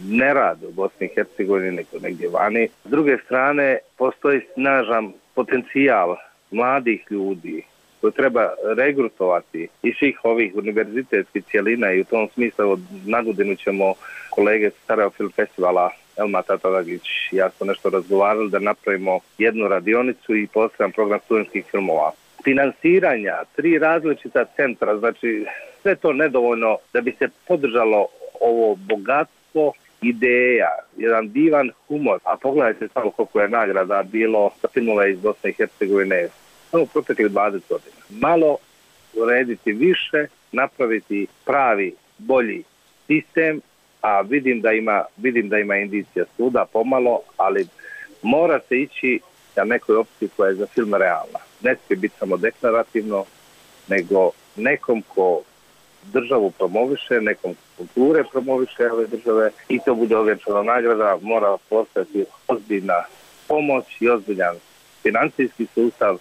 ne rade u Bosni i Hercegovini nego negdje vani. S druge strane, postoji snažan potencijal mladih ljudi koji treba regrutovati iz svih ovih univerzitetskih cjelina i u tom smislu na godinu ćemo kolege sa Sarajevo Film Festivala Elma Tatadagić i ja smo nešto razgovarali da napravimo jednu radionicu i poseban program studentskih filmova. Finansiranja, 3 različita centra, znači sve to nedovoljno da bi se podržalo ovo bogatstvo ideja, jedan divan humor, a pogledajte samo koliko je nagrada bilo za filmove iz Bosne i Hercegovine samo proteklih 20 godina. Malo urediti više, napraviti pravi, bolji sistem, a vidim da ima indicija suda pomalo, ali mora se ići na nekoj opciji koja je za film realna. Ne smije biti samo deklarativno, nego nekom ko državu promoviše, nekom kulture promoviše ove države i to bude ovjenčana nagrada, mora postati ozbiljna pomoć i ozbiljan financijski sustav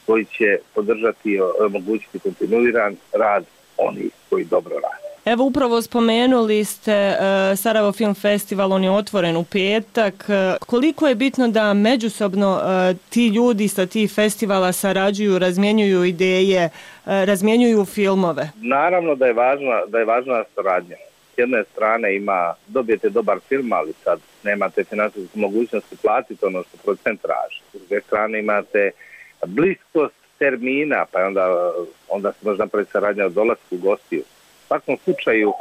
koji će podržati i omogućiti kontinuiran rad onih koji dobro rade. Evo upravo spomenuli ste Sarajevo Film Festival, on je otvoren u petak. Koliko je bitno da međusobno ti ljudi sa tih festivala sarađuju, razmjenjuju ideje, razmjenjuju filmove? Naravno da je važna saradnja. S jedne strane dobijete dobar film, ali sad nemate financijsku mogućnosti platiti ono što producent traži. S druge strane imate bliskost termina, pa onda se može napraviti saradnja od dolasku gostiju. U svakom slučaju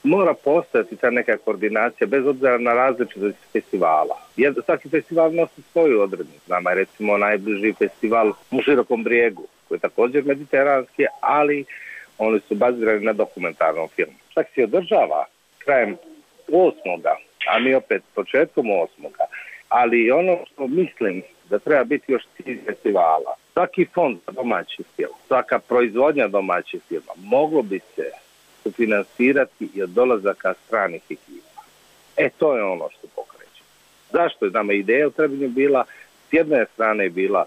mora postojati ta neka koordinacija bez obzira na različitost festivala. Svaki festival nosi svoju odrednicu. Nama je recimo najbliži festival u Širokom Brijegu, koji je također mediteranski, ali oni su bazirani na dokumentarnom filmu. Čak se održava krajem 8. a mi opet početkom 8. Ali ono što mislim da treba biti još cilj festivala, svaki fond za domaći film, svaka proizvodnja domaćih filma moglo bi se sufinansirati i od dolazaka stranih ekipa. To je ono što pokreće. Zašto je nama ideja u Trebinju bila s jedne strane bila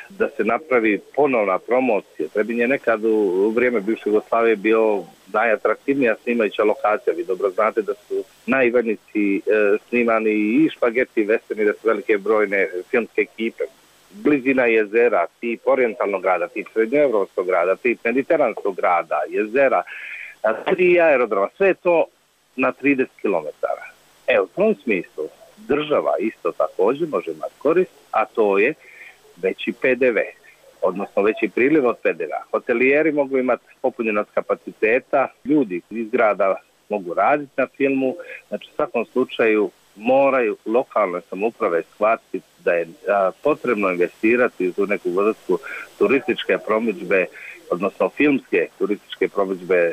da se napravi ponovna promocija. Trebinje je nekad u vrijeme bivše Jugoslavije bio najatraktivnija snimajuća lokacija. Vi dobro znate da su na Ivanici snimani i špageti i westerni, da su velike brojne filmske ekipe. Blizina jezera, tip orijentalnog grada, tip srednjoevropskog grada, tip mediteranskog grada, jezera, 3 aerodroma, sve to na 30 km. U tom smislu država isto također može imati korist, a to je veći PDV, odnosno veći priliv od PDV-a. Hotelijeri mogu imati popunjenost kapaciteta, ljudi iz grada mogu raditi na filmu, znači u svakom slučaju moraju lokalne samouprave shvatiti da je potrebno investirati u neku vrstu turističke promidžbe, odnosno filmske turističke promidžbe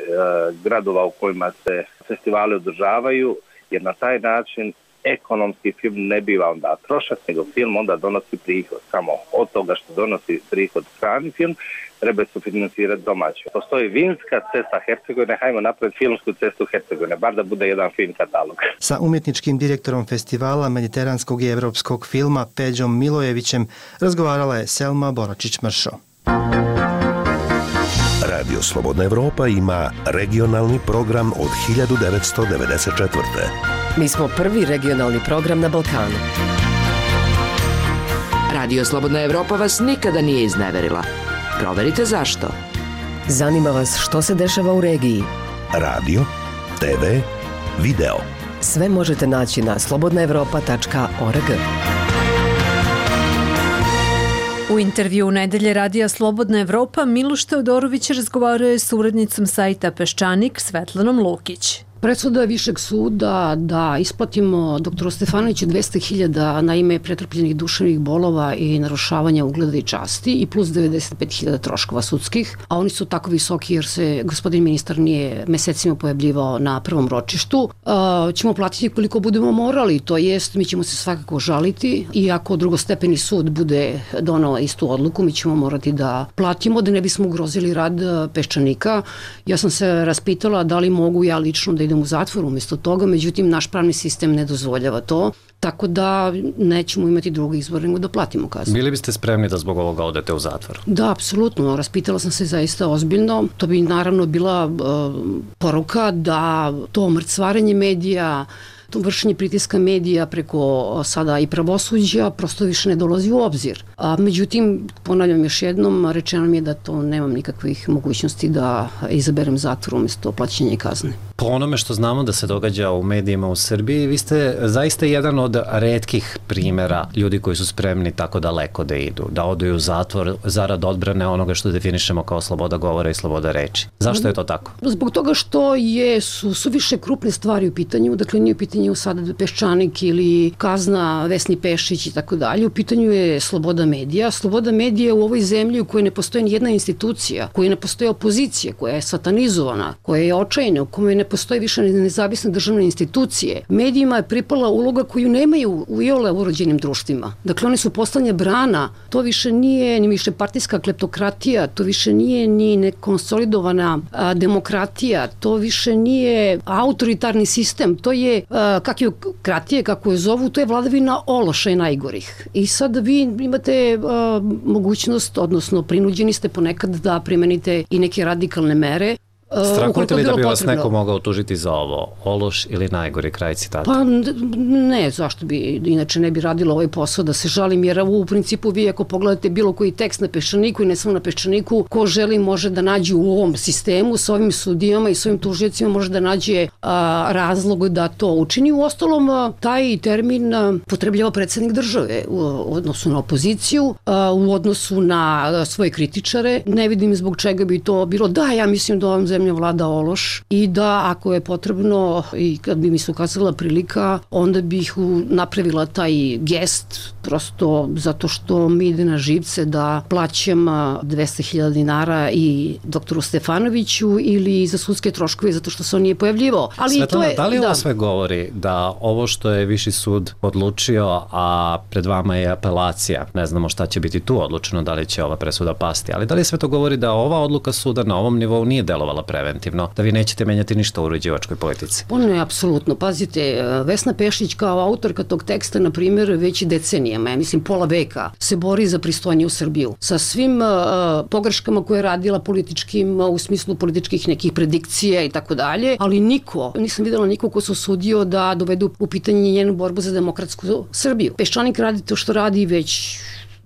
gradova u kojima se festivali održavaju, jer na taj način ekonomski film ne biva onda trošak, nego film onda donosi prihod. Samo od toga što donosi prihod strani film, treba se financirati domaće. Postoji vinska cesta Hercegovine, hajmo napraviti filmsku cestu Hercegovine, bar da bude jedan film katalog. Sa umjetničkim direktorom festivala mediteranskog i evropskog filma Peđom Milojevićem razgovarala je Selma Boračić-Mršo. Radio Slobodna Evropa ima regionalni program od 1994. Mi smo prvi regionalni program na Balkanu. Radio Slobodna Evropa vas nikada nije izneverila. Proverite zašto. Zanima vas što se dešava u regiji. Radio, TV, video. Sve možete naći na slobodnaevropa.org. U intervju Nedelje radija Slobodna Evropa Miloš Teodorović razgovarao je s urednicom sajta Peščanik Svetlanom Lukić. Presuda Višeg suda da isplatimo doktoru Stefanoviću 200.000 na ime pretrpljenih duševnih bolova i narušavanja ugleda i časti i plus 95.000 troškova sudskih, a oni su tako visoki jer se gospodin ministar nije mesecima pojavljivao na prvom ročištu. Ćemo platiti koliko budemo morali, to jest mi ćemo se svakako žaliti i ako drugostepeni sud bude donao istu odluku, mi ćemo morati da platimo da ne bismo ugrozili rad Peščanika. Ja sam se raspitala da li mogu ja lično da idem u zatvor umjesto toga, međutim naš pravni sistem ne dozvoljava to, tako da nećemo imati drugi izbor nego da platimo kaznu. Bili biste spremni da zbog ovoga odete u zatvor? Da, apsolutno. Raspitala sam se zaista ozbiljno. To bi naravno bila poruka da to mrcvarenje medija, to vršenje pritiska medija preko sada i pravosuđa prosto više ne dolazi u obzir. Međutim, ponavljam još jednom, rečeno mi je da to nemam nikakvih mogućnosti da izaberem zatvor umjesto plaćanja kazne. Po onome što znamo da se događa u medijima u Srbiji, vi ste zaista jedan od retkih primjera ljudi koji su spremni tako daleko da idu, da odu u zatvor zarad odbrane onoga što definišemo kao sloboda govora i sloboda reči. Zašto je to tako? Zbog toga što su više krupne stvari u pitanju, dakle nije u pitanju sada Peščanik ili kazna Vesni Pešić i tako dalje, u pitanju je sloboda medija. Sloboda medija u ovoj zemlji u kojoj ne postoji nijedna institucija, u kojoj ne postoji opozicija, koja je satanizovana, koja je očajna, u kojoj ne postoji više nezavisne državne institucije. Medijima je pripala uloga koju nemaju u iole urođenim društvima. Dakle, oni su poslednja brana. To više nije ni više partijska kleptokratija, to više nije ni nekonsolidovana demokratija, to više nije autoritarni sistem, to je kakijokratije, kako je zovu, to je vladavina ološa i najgorih. I sad vi imate mogućnost, odnosno prinuđeni ste ponekad da primenite i neke radikalne mere. Strahujete li da bi vas neko mogao tužiti za ovo? Ološ ili najgori, kraj citata? Pa ne, zašto bi inače ne bi radilo ovaj posao da se žalim, jer u principu vi ako pogledate bilo koji tekst na Peščaniku i ne samo na Peščaniku, ko želi može da nađe u ovom sistemu sa ovim sudijama i s ovim tužiocima može da nađe razlog da to učini. U ostalom, taj termin potrebljava predsjednik države u odnosu na opoziciju, u odnosu na svoje kritičare. Ne vidim zbog čega bi to bilo. Da, ja mislim da ovom zemlja vlada ološ i da ako je potrebno i kad bi mi se ukazala prilika, onda bih napravila taj gest prosto zato što mi ide na živce da plaćam 200.000 dinara i doktoru Stefanoviću ili za sudske troškove zato što se on nije pojavljivao. Ali Svetlana, to je, da li ovo sve govori da ovo što je Viši sud odlučio, a pred vama je apelacija, ne znamo šta će biti tu odlučeno, da li će ova presuda pasti, ali da li sve to govori da ova odluka suda na ovom nivou nije delovala preventivno, da vi nećete menjati ništa u uređivačkoj politici? Ono je apsolutno. Pazite, Vesna Pešić kao autorka tog teksta, na primjer, već decenijama, ja mislim pola veka, se bori za pristojniju Srbiju. Sa svim pogreškama koje je radila političkim, u smislu političkih nekih predikcija i tako dalje, ali nisam videla niko ko se osudio da dovedu u pitanje njenu borbu za demokratsku Srbiju. Peščanik radi to što radi već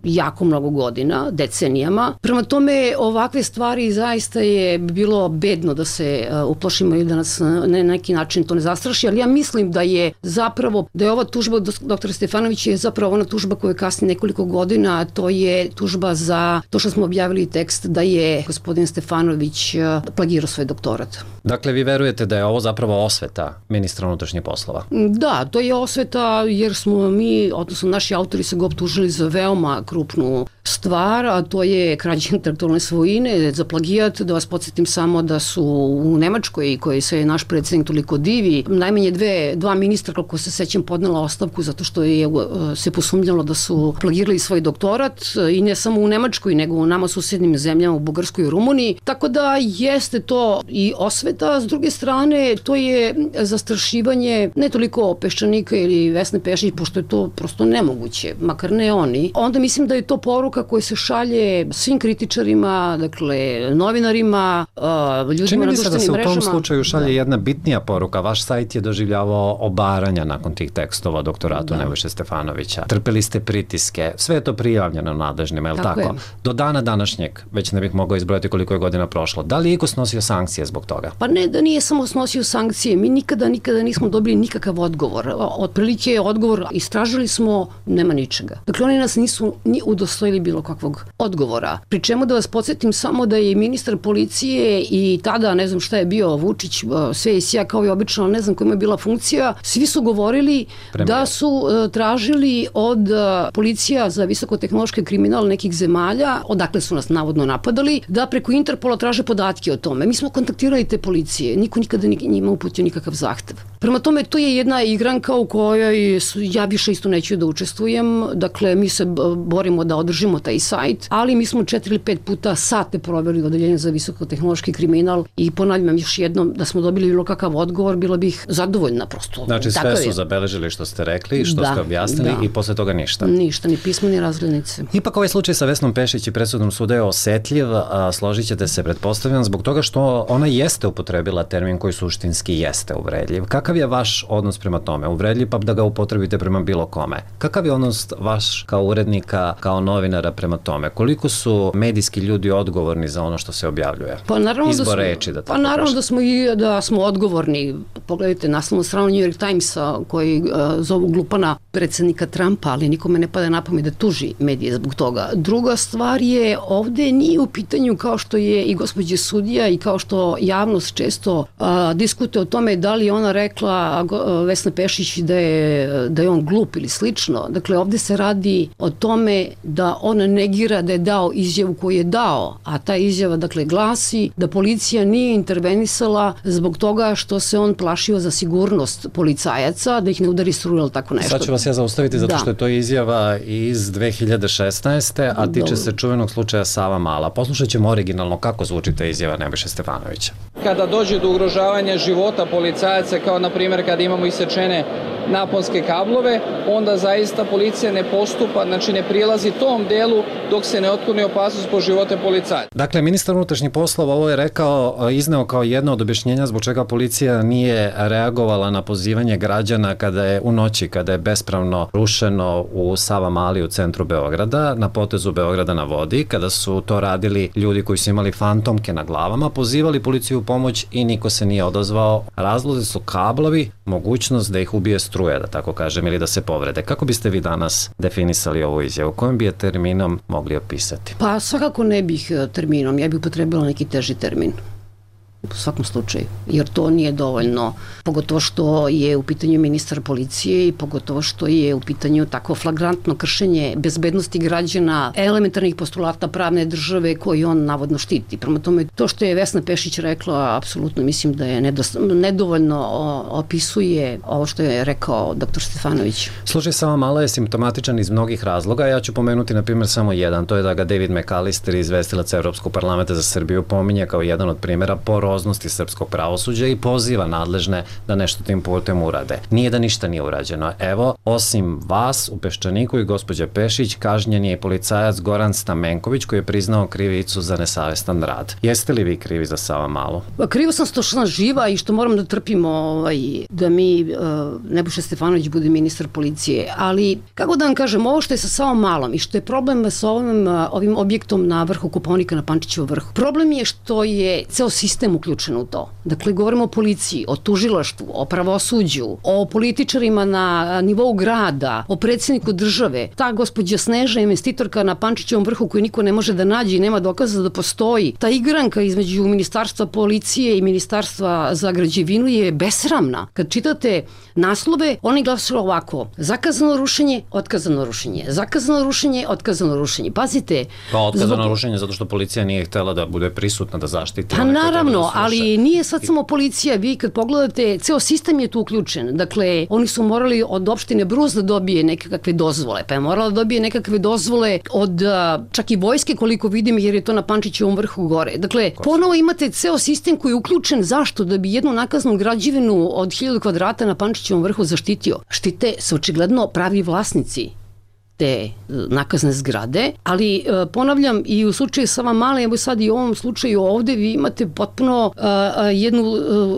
jako mnogo godina, decenijama. Prema tome, ovakve stvari zaista je bilo bedno da se uplašimo i da nas na neki način to ne zastraši, ali ja mislim da je ova tužba od doktora Stefanovića je zapravo ona tužba koja je kasnije nekoliko godina, to je tužba za to što smo objavili tekst da je gospodin Stefanović plagirao svoj doktorat. Dakle, vi verujete da je ovo zapravo osveta ministra unutrašnjih poslova? Da, to je osveta jer smo mi, odnosno naši autori se ga optužili za veoma krupnu stvar, a to je krađa intelektualne svojine, za plagijat. Da vas podsjetim samo da su u Nemačkoj, koji se naš predsjednik toliko divi, najmanje dva ministra, kako se sećam, podnela ostavku zato što je se posumnjalo da su plagirali svoj doktorat, i ne samo u Nemačkoj, nego u nama susednim zemljama, u Bugarskoj i Rumuniji. Tako da jeste to i osveta, s druge strane to je zastrašivanje ne toliko Peščanika ili Vesne Pešić, pošto je to prosto nemoguće, makar ne oni. Onda mislim da je to poruka koja se šalje svim kritičarima, dakle novinarima, ljudima na društvenim mrežama. Čini mi se da se u tom slučaju šalje jedna bitnija poruka. Vaš sajt je doživljavao obaranja nakon tih tekstova o doktoratu Nebojše Stefanovića. Trpeli ste pritiske, sve je to prijavljeno nadležnima, je li tako? Do dana današnjeg, već ne bih mogao izbrojati koliko je godina prošlo. Da li je iko snosio sankcije zbog toga? Pa ne, da nije samo snosio sankcije. Mi nikada nismo dobili nikakav odgovor. Otprilike je odgovor, istražili smo, nema ničega. Dakle, oni nas nisu ni udostojili bilo kakvog odgovora. Pri čemu da vas podsjetim samo da je ministar policije i tada, ne znam šta je bio, Vučić, sve i sja kao i obično, ne znam kojima je bila funkcija, svi su govorili da su tražili od policija za visokotehnološki kriminal nekih zemalja, odakle su nas navodno napadali, da preko Interpola traže podatke o tome. Mi smo kontaktirali te policije, niko nikada njima uputio nikakav zahtev. Prema tome, to je jedna igranka u kojoj ja više isto neću da učestvujem. Dakle, mi se borimo da održimo taj sajt, ali mi smo 4 ili 5 puta sate proveli u odeljenju za visokotehnološki kriminal i ponavljam još jednom da smo dobili bilo kakav odgovor, bila bih zadovoljna prosto. Znači sve su zabeležili što ste rekli, što ste objasnili i posle toga ništa. Ništa, ni pismo, ni razglednice. Ipak ovaj slučaj sa Vesnom Pešić i presudom suda je osetljiv, složit ćete se, pretpostavljam, zbog toga što ona jeste upotrebila termin koji suštinski jeste uvredljiv. Kakav je vaš odnos prema tome? Uvredljiv pa da ga upotrebite prema bilo kome. Kakav je odnos vaš kao urednika, kao novinara prema tome? Koliko su medijski ljudi odgovorni za ono što se objavljuje? Pa naravno da smo odgovorni. Pogledajte naslovnu stranu New York Timesa koji zovu glupana predsjednika Trumpa, ali nikome ne pada na pamet da tuži medije zbog toga. Druga stvar je, ovde nije u pitanju kao što je i gospođa sudija i kao što javnost često diskutuje o tome da li ona rekla Vesna Pešić da je on glup ili slično. Dakle, ovde se radi o tome da on negira da je dao izjavu koju je dao, a ta izjava dakle glasi da policija nije intervenisala zbog toga što se on plašio za sigurnost policajaca, da ih ne udari struja ili tako nešto. Sad ću vas ja zaustaviti zato što je to izjava iz 2016. a tiče se čuvenog slučaja Savamala. Poslušat ćemo originalno kako zvuči ta izjava Nebojše Stefanovića. Kada dođe do ugrožavanja života policajaca, kao na primjer kada imamo isečene naponske kablove, onda zaista policija ne postupa, znači ne prilazi tom delu dok se ne otkloni opasnost po živote policajaca. Dakle, ministar unutrašnjih poslova ovo je izneo kao jedno od objašnjenja zbog čega policija nije reagovala na pozivanje građana kada je u noći, kada je bespravno rušeno u Savamali u centru Beograda, na potezu Beograda na vodi, kada su to radili ljudi koji su imali fantomke na glavama, pozivali policiju u pomoć i niko se nije odazvao. Razlozi su kablovi, mogućnost da ih ubije struja, da tako kažem, ili da se povrede. Kako biste vi danas definisali ovu izjavu? Kojim bi je terminom mogli opisati? Pa svakako ne bih terminom, ja bih upotrebila neki teži termin. U svakom slučaju, jer to nije dovoljno, pogotovo što je u pitanju ministar policije i pogotovo što je u pitanju tako flagrantno kršenje bezbednosti građana, elementarnih postulata pravne države koji on navodno štiti. Prema tome, to što je Vesna Pešić rekla, apsolutno mislim da je nedovoljno opisuje ovo što je rekao dr. Stefanović. Slučaj Savamala je simptomatičan iz mnogih razloga, ja ću pomenuti na primjer samo jedan, to je da ga David McAllister, izvestilac Evropskog parlamenta za Srbiju, pominje kao jedan od primjera monstruoznosti srpskog pravosuđa i poziva nadležne da nešto tim putem urade. Nije da ništa nije urađeno. Evo, osim vas u Peščaniku i gospođa Pešić, kažnjen je i policajac Goran Stamenković koji je priznao krivicu za nesavestan rad. Jeste li vi krivi za Savamalu? Krivo sam što sam živa i što moram da trpimo da mi Nebojša Stefanović bude ministar policije, ali kako da vam kažem, ovo što je sa Savamalom i što je problem sa ovim objektom na vrhu Kopaonika na Pančićevom vrhu, problem je što je ceo sistem uključen u to. Dakle, govorimo o policiji, o tužilaštvu, o pravosuđu, o političarima na nivou grada, o predsjedniku države. Ta gospođa Sneža, investitorka na Pančićevom vrhu koju niko ne može da nađe i nema dokaza da postoji. Ta igranka između Ministarstva policije i Ministarstva za građevinu je besramna. Kad čitate naslove, oni glasuju ovako: zakazano rušenje, otkazano rušenje, zakazano rušenje, otkazano rušenje. Pazite. Pa otkazano rušenje zato što policija nije htela da bude prisutna, da zaštiti. Pa naravno, ali nije sad samo policija. Vi kad pogledate, ceo sistem je tu uključen. Dakle, oni su morali od opštine Brus da dobije nekakve dozvole, pa je morala da dobije nekakve dozvole od čak i vojske, koliko vidim, jer je to na Pančićevom vrhu gore. Dakle, ponovo imate ceo sistem koji je uključen. Zašto? Da bi jednu nakaznu građevinu od 1000 kvadrata na Pančićevom vrhu zaštitio. Štite se očigledno pravi vlasnici te nakazne zgrade, ali ponavljam, i u slučaju Savamale, evo sad i u ovom slučaju ovde, vi imate potpuno jednu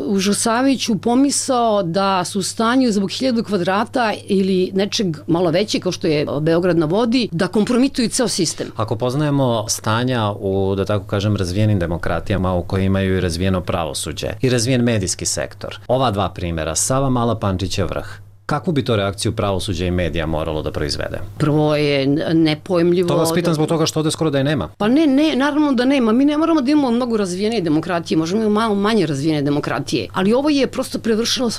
užasavajuću pomisao da su u stanju zbog 1000 kvadrata ili nečeg malo veće, kao što je Beograd na vodi, da kompromituju ceo sistem. Ako poznajemo stanja u, da tako kažem, razvijenim demokratijama u kojima imaju i razvijeno pravosuđe i razvijen medijski sektor, ova dva primjera, Savamala, Pančićev vrh, kakvu bi to reakciju pravosuđa i medija moralo da proizvede? Prvo je nepojmljivo... To vas pitam zbog toga što ovde skoro da je nema. Pa ne, naravno da nema. Mi ne moramo da imamo mnogo razvijene demokratije, možemo imamo malo manje razvijene demokratije, ali ovo je prosto prevršilo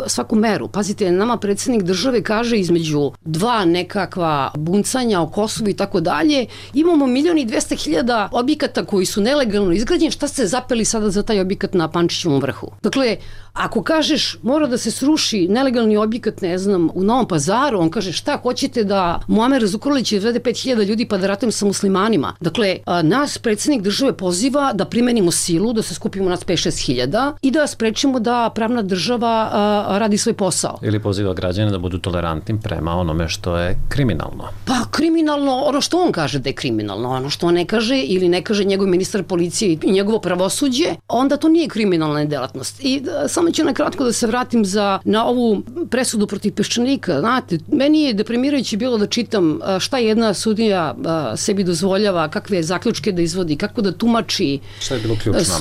svaku meru. Pazite, nama predsjednik države kaže između dva nekakva buncanja o Kosovu i tako dalje, imamo 1.200.000 objekata koji su nelegalno izgrađeni, šta ste zapeli sada za taj objekat na Pančićevom vrhu? Dakle, ako kažeš mora da se sruši nelegalni objekat, ne znam, u Novom Pazaru, on kaže šta, hoćete da Muamer Zukorlić izvede 5.000 ljudi pa da ratujem sa muslimanima. Dakle, nas predsjednik države poziva da primenimo silu, da se skupimo nas 5-6 i da sprečimo da pravna država radi svoj posao. Ili poziva građane da budu tolerantni prema onome što je kriminalno. Pa kriminalno, ono što on kaže da je kriminalno, ono što on ne kaže ili ne kaže njegov ministar policije i njegovo pravosuđe, onda to nije kriminalna delatnost. I samo ću nakratko da se vratim na ovu presudu protiv Peščanika. Znate, meni je deprimirajuće bilo da čitam šta jedna sudija sebi dozvoljava, kakve zaključke da izvodi, kako da tumači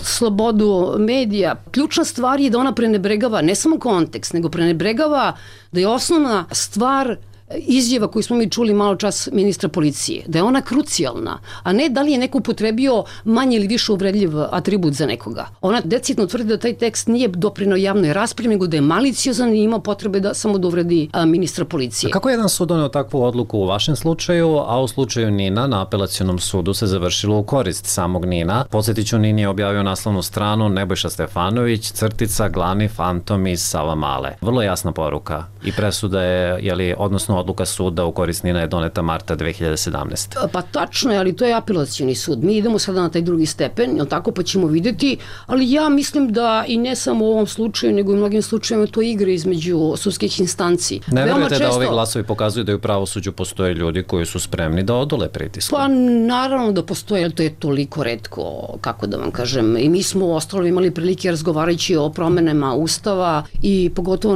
slobodu medija. Ključna stvar je da ona prenebregava ne samo kontekst, nego prenebregava da je osnovna stvar izjava koju smo mi čuli malo čas ministra policije, da je ona krucijalna, a ne da li je neko upotrebio manje ili više uvredljiv atribut za nekoga. Ona decidno tvrdi da taj tekst nije doprineo javnoj raspravi, nego da je maliciozan i ima potrebe da samo da uvredi ministra policije. A kako je jedan sud doneo takvu odluku u vašem slučaju, a u slučaju Nina na apelacionom sudu se završilo u korist samog Nina? Podsjetiću, Nin je objavio naslovnu stranu Nebojša Stefanović, crtica, glavni fantom iz Savamale. Vrlo jasna poruka i presuda je, odnosno odluka suda u korist Nina je doneta marta 2017. Pa tačno je, ali to je apelacioni sud. Mi idemo sada na taj drugi stepen, jel tako, pa ćemo videti, ali ja mislim da i ne samo u ovom slučaju, nego i u mnogim slučajima to igre između sudskih instanci. Ne verujete da ovi glasovi pokazuju da u pravosuđu postoje ljudi koji su spremni da odole pritisku? Pa naravno da postoje, ali to je toliko retko, kako da vam kažem. I mi smo ostalo imali prilike razgovarajući o promenama Ustava i pogotovo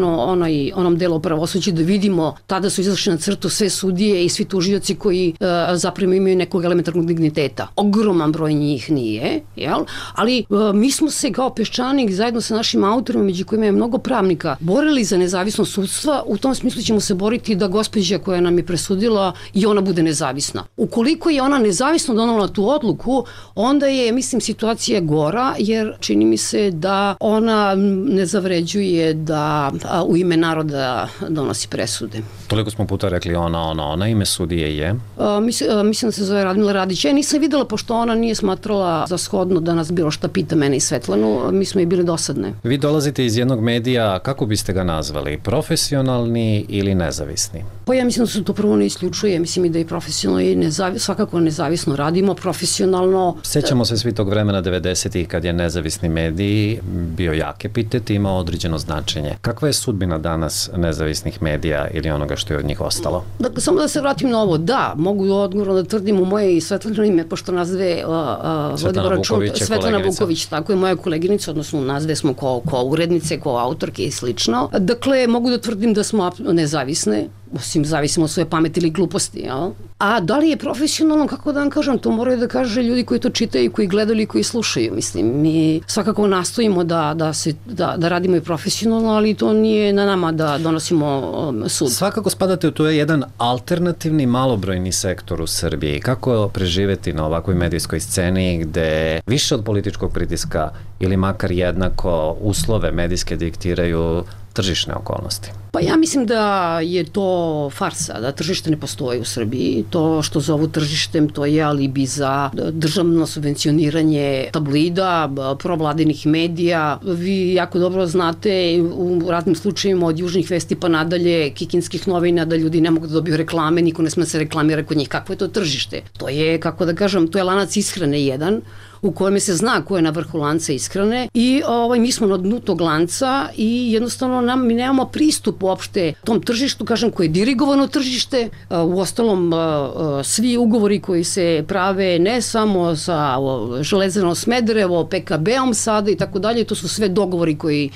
onom delu pravosuđa da vidimo, tada su izašli na crtu sve sudije i svi tužioci koji zapravo imaju nekog elementarnog digniteta. Ogroman broj njih nije, jel? Ali mi smo se kao Peščanik zajedno sa našim autorima, među kojima je mnogo pravnika, borili za nezavisnost sudstva. U tom smislu ćemo se boriti da gospođa koja nam je presudila i ona bude nezavisna. Ukoliko je ona nezavisno donala tu odluku, onda je, mislim, situacija gora, jer čini mi se da ona ne zavređuje da u ime naroda donosi presude. Toliko smo puta rekli ona, ime sudije je? Mislim da se zove Radmila Radić. Ja nisam videla, pošto ona nije smatrala za shodno da nas bilo šta pita mene i Svetlanu, mi smo i bili dosadne. Vi dolazite iz jednog medija, kako biste ga nazvali? Profesionalni ili nezavisni? Pa ja mislim da se to prvo ne isključuje, mislim i da je profesionalno i svakako nezavisno radimo, profesionalno. Sjećamo se svi tog vremena 90-ih kad je nezavisni medij bio jak epitet i imao određeno značenje. Kakva je sudbina danas nezavisnih medija ili onoga što je od njih ostalo? Dakle, samo da se vratim na ovo, da, mogu odgovorno da tvrdim u moje i Svetlano ime, pošto nas dve Svetlana Vuković, tako je moja koleginica, odnosno nas dve smo ko urednice, ko autorke i slično. Dakle, mogu da tvrdim da smo nezavisne, osim zavisimo od svoje pameti ili gluposti, jel? A da li je profesionalno, kako da vam kažem, to moraju da kaže ljudi koji to čitaju, koji gledaju i koji slušaju, mislim. Mi svakako nastojimo da radimo i profesionalno, ali to nije na nama da donosimo sud. Svakako spadate u to je jedan alternativni malobrojni sektor u Srbiji. Kako preživeti na ovakvoj medijskoj sceni gde više od političkog pritiska ili makar jednako uslove medijske diktiraju tržišne okolnosti? Pa ja mislim da je to farsa, da tržište ne postoji u Srbiji. To što zovu tržištem, to je alibi za državno subvencioniranje tablida, provladinih medija. Vi jako dobro znate u raznim slučajima od Južnih vesti pa nadalje, Kikinskih novina, da ljudi ne mogu da dobiju reklame, niko ne sme se reklamira kod njih. Kakvo je to tržište? To je, kako da kažem, to je lanac ishrane jedan, u kojem se zna ko je na vrhu lanca ishrane i mi smo na dnu tog lanca i jednostavno mi nemamo pristup uopšte tom tržištu, kažem, koje je dirigovano tržište. U ostalom, svi ugovori koji se prave ne samo sa Železarom Smederevo, PKB-om sada i tako dalje, to su sve dogovori koji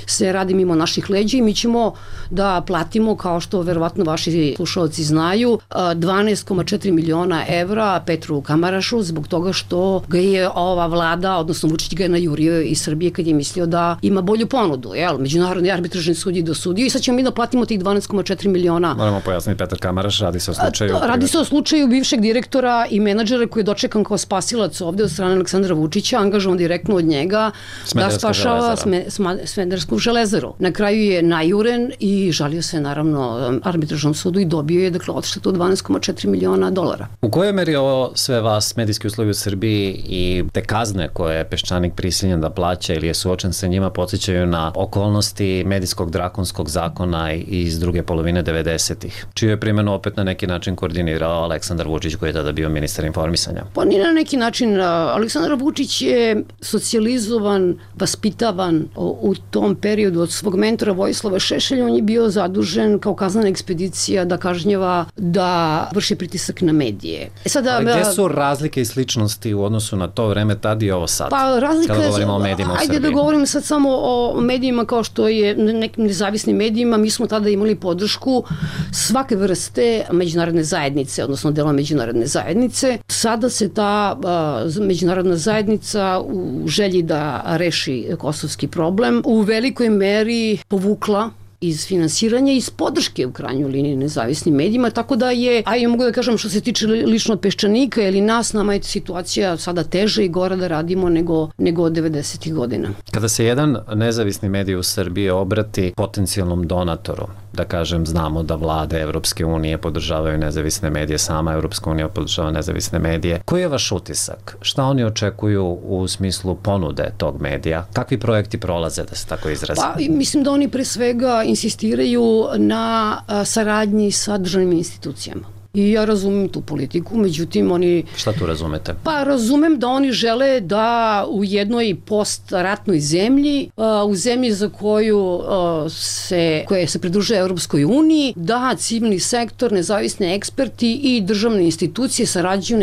se radi mimo naših leđa i mi ćemo da platimo, kao što verovatno vaši slušalci znaju, 12,4 miliona evra Petru Kamarašu zbog toga što ga je ova vlada, odnosno Vučić ga je najurio iz Srbije kad je mislio da ima bolju ponudu. Međunarodni arbitražni sud je dosudio i sad ćemo mi da platimo tih 12,4 miliona. Moramo pojasniti, Petar Kamaraš, radi se o slučaju... Radi se o slučaju bivšeg direktora i menadžera koji je dočekan kao spasilac ovde od strane Aleksandra Vučića, angažovan direktno od njega da spašava Smederevsku železaru. Na kraju je najuren i žalio se naravno arbitražnom sudu i dobio je odštetu od 12,4 miliona dolara. U kojoj meri ovo sve vas, medijski uslovi u Srbiji i te kazne koje je Peščanik prisiljen da plaća ili je suočen sa njima podsjećaju na okolnosti medijskog drakonskog zakona iz druge polovine 90-ih, čiju je primjenu opet na neki način koordinirao Aleksandar Vučić koji je tada bio ministar informisanja? Pa nije na neki način. Aleksandar Vučić je socijalizovan, vaspitavan u tom periodu od svog mentora Vojislava Šešelja. On je bio zadužen kao kaznena ekspedicija da kažnjava, da vrši pritisak na medije. Gde su razlike i sličnosti u odnosu na to vreme tad i ovo sad? Pa razlika kada govorimo o medijima u Srbiji. Ajde da govorim sad samo o medijima kao što je nekim nezavisnim medijima. Mi smo tada imali podršku svake vrste međunarodne zajednice, odnosno dela međunarodne zajednice. Sada se ta međunarodna zajednica u želji da reši kosovski problem u velikoj meri povukla iz finansiranja i iz podrške u krajnjoj liniji nezavisnim medijima, tako da je, ja mogu da kažem što se tiče lično od Peščanika ili nas, nama je situacija sada teža i gora da radimo nego od 90. godina. Kada se jedan nezavisni medij u Srbiji obrati potencijalnom donatoru, da kažem, znamo da vlade Evropske unije podržavaju nezavisne medije, sama Evropska unija podržava nezavisne medije. Koji je vaš utisak? Šta oni očekuju u smislu ponude tog medija? Kakvi projekti prolaze, da se tako izrazi? Pa, mislim da oni pre svega insistiraju na saradnji sa državnim institucijama. I ja razumem tu politiku, međutim oni... Šta tu razumete? Pa razumem da oni žele da u jednoj postratnoj zemlji, u zemlji za koja se pridružuje Europskoj uniji, da civilni sektor, nezavisni eksperti i državne institucije sarađuju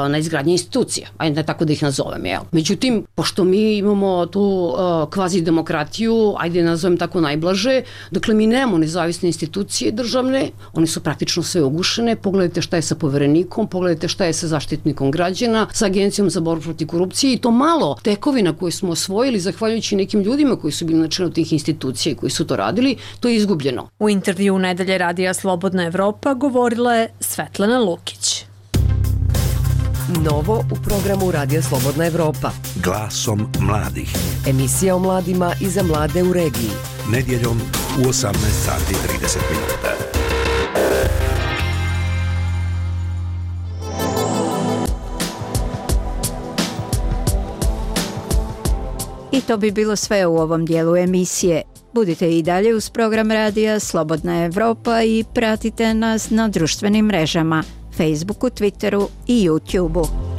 na izgradnji institucija. Ajde tako da ih nazovem, jel? Međutim, pošto mi imamo tu kvazi demokratiju, ajde nazovem tako najblaže, dakle mi nemamo nezavisne institucije državne, one su praktično sve ugušene. Pogledajte šta je sa poverenikom, pogledajte šta je sa zaštitnikom građana, sa Agencijom za borbu protiv korupcije i to malo tekovina koje smo osvojili zahvaljujući nekim ljudima koji su bili na čelu tih institucija i koji su to radili, to je izgubljeno. U intervju Nedelje radija Slobodna Evropa govorila je Svetlana Lukić. Novo u programu Radija Slobodna Evropa. Glasom mladih. Emisija o mladima i za mlade u regiji. Nedjeljom u 18:30 minuta. To bi bilo sve u ovom dijelu emisije. Budite i dalje uz program radija Slobodna Evropa i pratite nas na društvenim mrežama, Facebooku, Twitteru i YouTubeu.